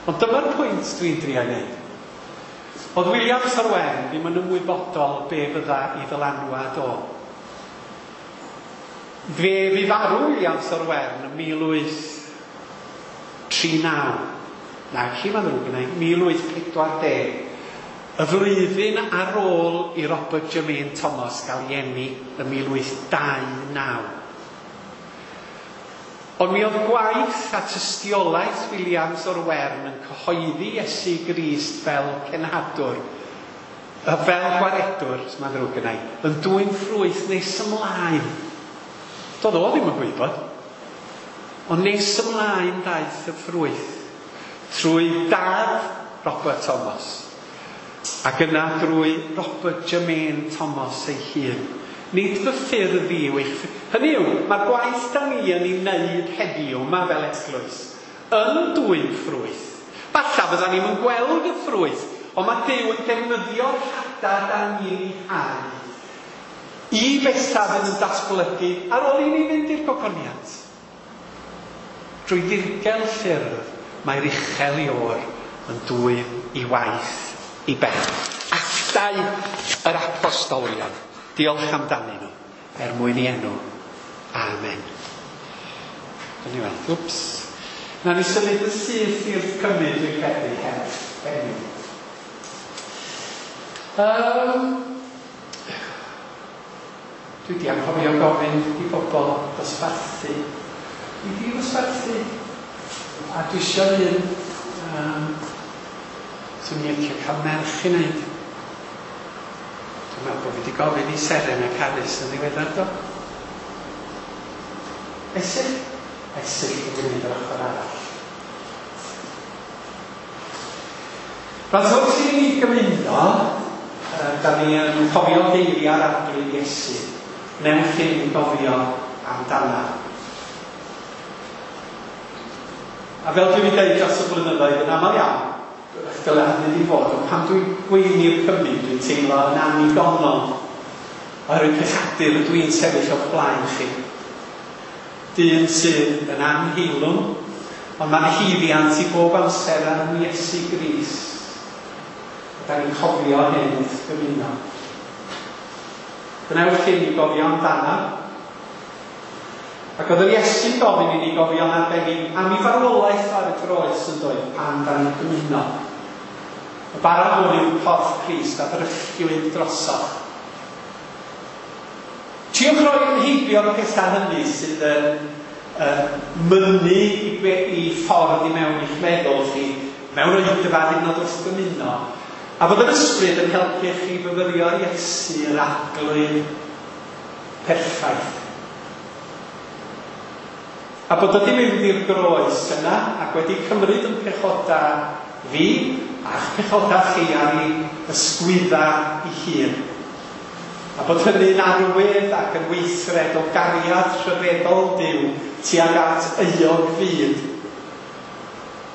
Ond dyma'r pwynt dwi'n drio wneud. Oedd Williams o'r Wern ddim yn ymwybodol be fydda i ddylanwad o. Fe fu farw Williams o'r Wern yn mil wyth tri naw. Na, chi ma'n ddrwg gynna i, mil wyth pedwar deg. Y flwyddyn ar ôl i Robert Jermaine Thomas gael ei eni yn mil wyth dau naw. Ond mi oedd gwaith a tystiolaeth Williams o'r Wern yn cyhoeddi Iesu Grist fel cenhadwr, fel gwaredwr, mae'n ddrwg gynna i, yn dwyn ffrwyth nes ymlaen. Doedd o ddim yn gwybod. Ond nes ymlaen daeth y ffrwyth trwy dad Robert Thomas ac yna drwy Robert Jermaine Thomas ei hun. Nid fy ffyrdd i yw eich ffyrdd. Hynny yw, mae'r gwaith da ni yn ei wneud heddiw yma fel eglwys yn dwyn ffrwyth. Falla fydda ni'm yn gweld y ffrwyth, ond mae Duw yn defnyddio'r hada da ni'n ei hau i bethau fydd yn datblygu ar ôl i ni fynd i'r gogoniant. Drwy ddirgel ffyrdd mae'r uchel i o'r yn dwyn i waith i ben. Actau yr Apostolion. Diolch amdanyn nhw, er mwyn i enw. Amen. Dyna ni weld. Wps. Na ni symud yn syth i'r cymryd dwi'n credu heb enw. Um, dwi di anghofio gofyn i bobl dosbarthu. I di ddosbarthu. A dwi isio un, um, swn i'n licio cael merch i wneud. Dwi'n meddwl bod fi wedi gofyn i Seren a Carys yn ddiweddar do. Esyll? Esyll yn gwneud yr ochr arall. Rwan, wrth i ni gymuno, uh, da ni yn cofio geiriau'r Arglwydd Iesu. Newch i ni gofio amdana. A fel dwi wedi dweud dros y blynyddoedd yn aml iawn, dyle hynny ddim fod, ond pan dwi'n gweini'r cymryd, dwi'n teimlo yn annigonol oherwydd pechadur ydw i'n sefyll o'ch blaen chi. Dyn sydd yn anheilwng, ond mae'n haeddiant i bob amser ar Iesu Grist. A da ni'n cofio hyn wrth gymuno. Gwnewch i ni gofio amdana. Ac oedd yr Iesu'n gofyn i ni gofio'n arbennig am ei farwolaeth ar y groes yn doedd pan da ni'n gymuno. Y bara hwn yw corff Crist a ddrychiwyd drosoch. Triwch roi heibio'r pethau hynny sydd yn, yn mynnu i, i ffordd i mewn i'ch meddwl chi mewn oedfa, hyd yn oed wrth gymuno, a bod yr ysbryd yn helpu chi fyfyrio ar Iesu, yr Arglwydd perffaith. A bod wedi mynd i'r groes yna ac wedi cymryd yn pechoda fi a'ch pechoda chi ar ei ysgwydda ei hun. A bod hynny'n arwydd ac yn weithred o gariad rhyfeddol Duw tuag at euog fyd.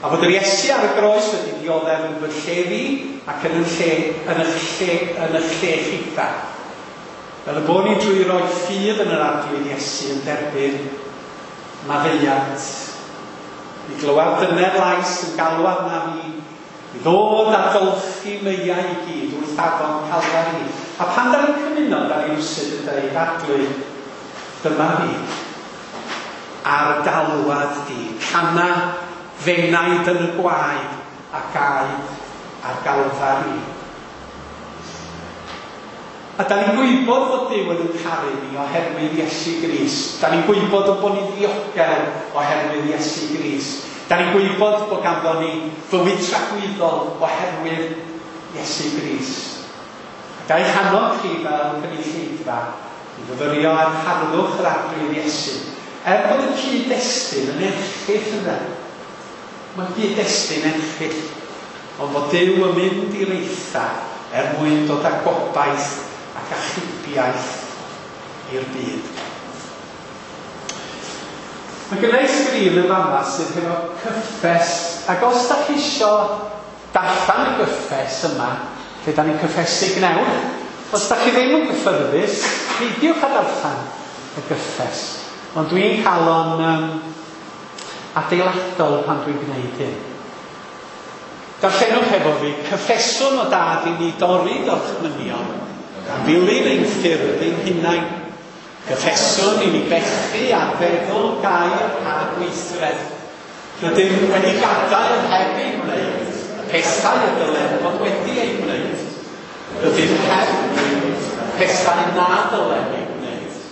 A bod yr Iesu ar y groes wedi dioddef yn fy lle fi ac yn y lle, yn y lle, yn y lle chitha. Fel y bod ni drwy roi ffydd yn yr Arglwydd Iesu yn derbyn maddeuant. I glywed dyner lais yn galw arna fi, i ddod a golchi meiau i gyd wrth afon Calfari. A pan da ni'n cymuno, da ni'n rywsut yn dweud, Arglwydd, dyma fi, ar galwad di, cana fenaid yn y gwaed a gaed ar Galfari. A da ni'n gwybod fod Duw yn caru ni oherwydd Iesu Grist. Da ni'n gwybod bod ni'n ddiogel oherwydd Iesu Grist. Da ni'n gwybod bod ganddo ni fywyd tragwyddol oherwydd Iesu Grist. A ga i hannog chi fel cynulleidfa i fyfyrio ar harddwch yr Arglwydd Iesu. Er bod y cyd-destun yn erchyll yna. Mae'n gyd-destun erchyll. Ond bod Duw yn mynd i'r eitha er mwyn dod â gobaith ac achubiaeth i'r byd. Mae gynna i sgrin yn fama sydd hefo cyffes, ac os da chi isio darllen y gyffes yma, lle da ni'n cyffesu gnewch, os da chi ddim yn gyffyrddus, peidiwch â darllen y gyffes. Ond dwi'n cael o'n um, adeiladol pan dwi'n gwneud hyn. Darllenwch efo fi, cyffeswn o dad i ni dorri gorchmynion, gan ddilyn ein ffyrdd ein hunain. Cyffeswn i ni bechu ar feddwl, gair a gweithred. Rydym wedi gadael heb ei wneud y pethau y dylem fod wedi ei wneud. Rydym heb wneud y pethau na dylem ei wneud.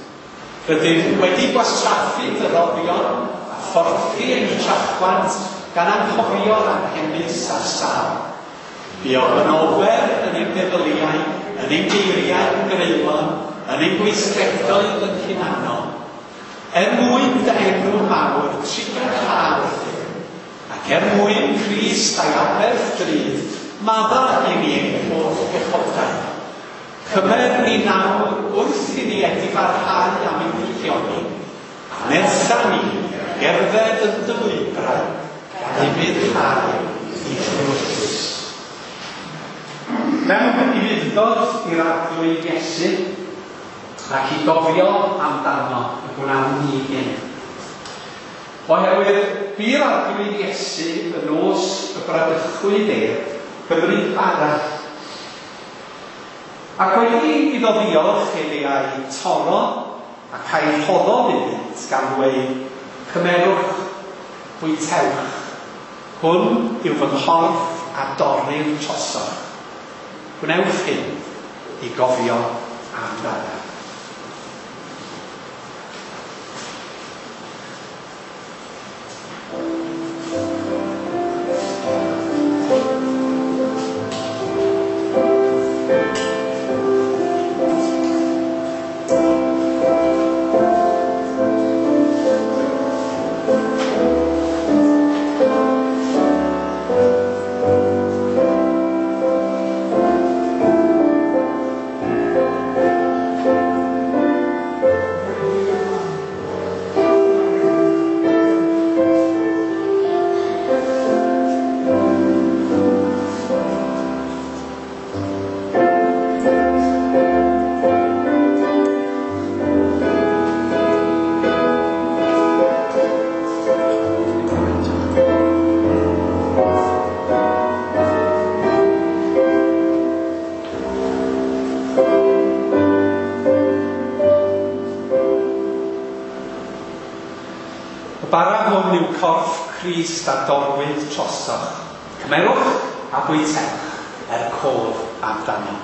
Rydym wedi gwastraffu dyroddion a phorthi ein trachwant gan anghofio'r anghenus a'r sâl. Buom yn ofer yn ein meddyliau, yn ein geiriau yn greulon, yn ein gweithredoedd yn hunanol. Er mwyn dy enw mawr, trugarha wrthym, ac er mwyn Crist a'i aberth drud, madda i ni ein holl bechodau. Cymer ni nawr wrth i ni edifarhau am ein drygioni, a nertha ni gerdded yn dy lwybrau, gan ufuddhau i ewyllys. Mewn ufudd-dod i'r Arglwydd Iesu, ac i gofio amdano y gwnawn ni hyn. Oherwydd bu'r Arglwydd Iesu y nos y bradychwyd ef, gymryd bara. Ac wedi iddo ddiolch efe a'i torrodd ac a'i rhoddodd iddynt gan ddweud, cymerwch, bwytewch, hwn yw fy nghorff a dorrir trosoch. Gwnewch hyn i gofio amdano. Crist a dorwyd trosoch. Cymerwch a bwytewch er cof amdano.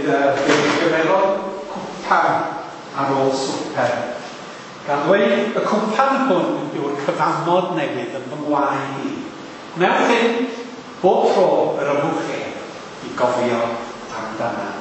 dweud, uh, fe gymerodd cwpan ar ôl swper. Gan ddweud, y cwpan hwn yw'r cyfamod newydd yn fy ngwaed i. Gwnewch hyn bob tro yr yfwch chi i gofio amdana.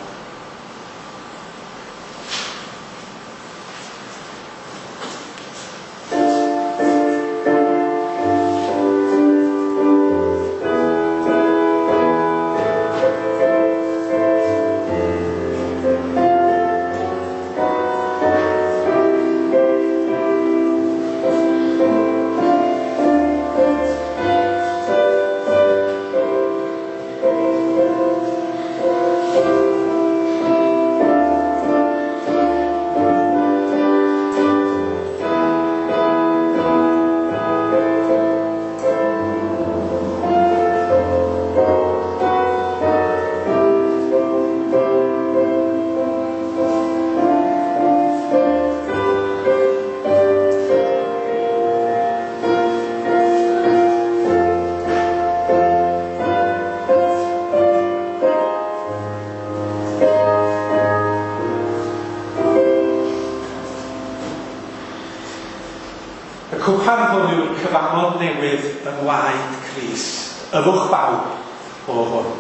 Y cwpan hwn yw'r cyfamod newydd yng ngwaed Crist. Yfwch bawb o hwn.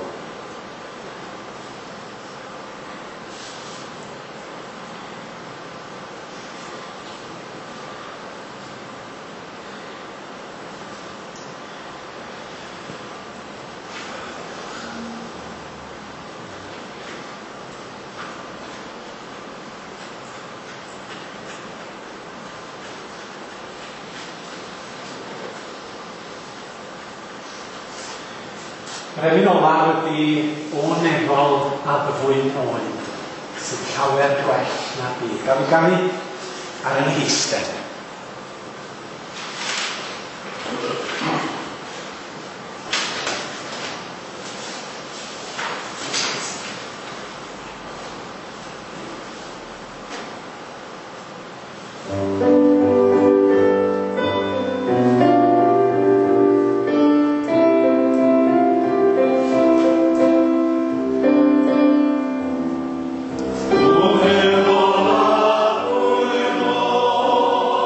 Yr emyn olaf ydy O Nefol a Fy Oed, sy'n llawer gwell na'r byd. Gawn ni ganu ar ein heistedd. O nefol a fy oed,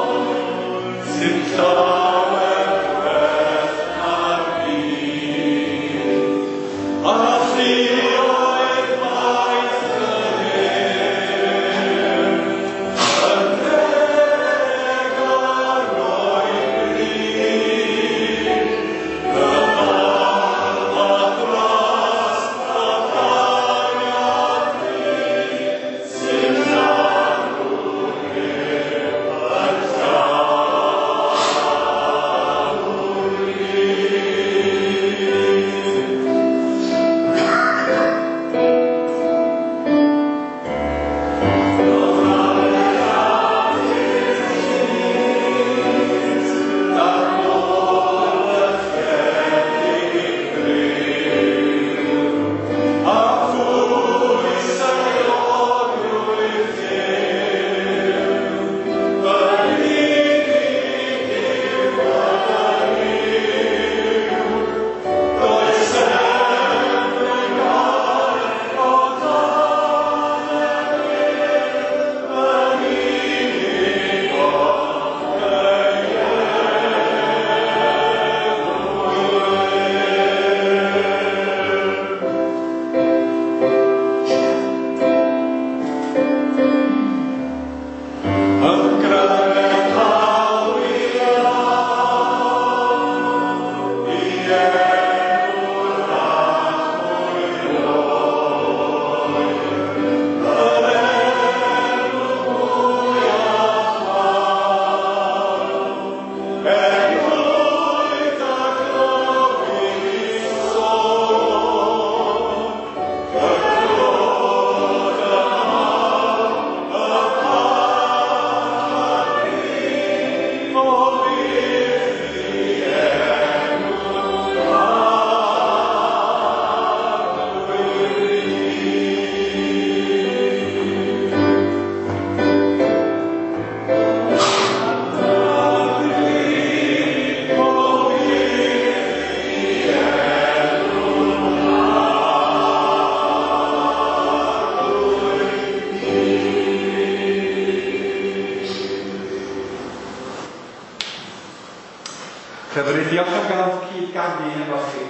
Hyfryd, diolch am gael cyd-ganu efo chi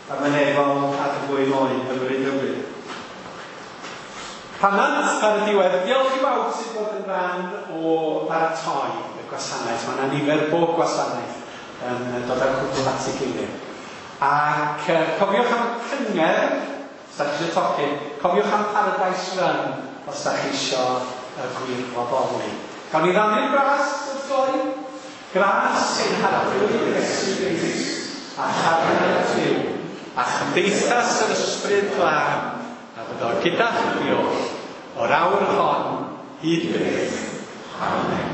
am y nefol ar y fwy moyn, hyfryd, hyfryd. Rhannant ar y diwedd, diolch i bawb sydd bod yn rhan o baratoi y gwasanaeth. Mae yna nifer bob gwasanaeth yn dod â'r cwbl at ei gilydd. Ac uh, cofiwch am y cyngerdd, os da chi eisiau tocyn, cofiwch am Paradise Run os da chi eisiau y gwirfoddoli. Gawn ni rannu'r gras wrth gloi? Gras ein Harglwydd Iesu Grist a chariad Duw a chymdeithas yr Ysbryd Glân a fyddo gyda chi oll o'r awr hon hyd byth. Amen.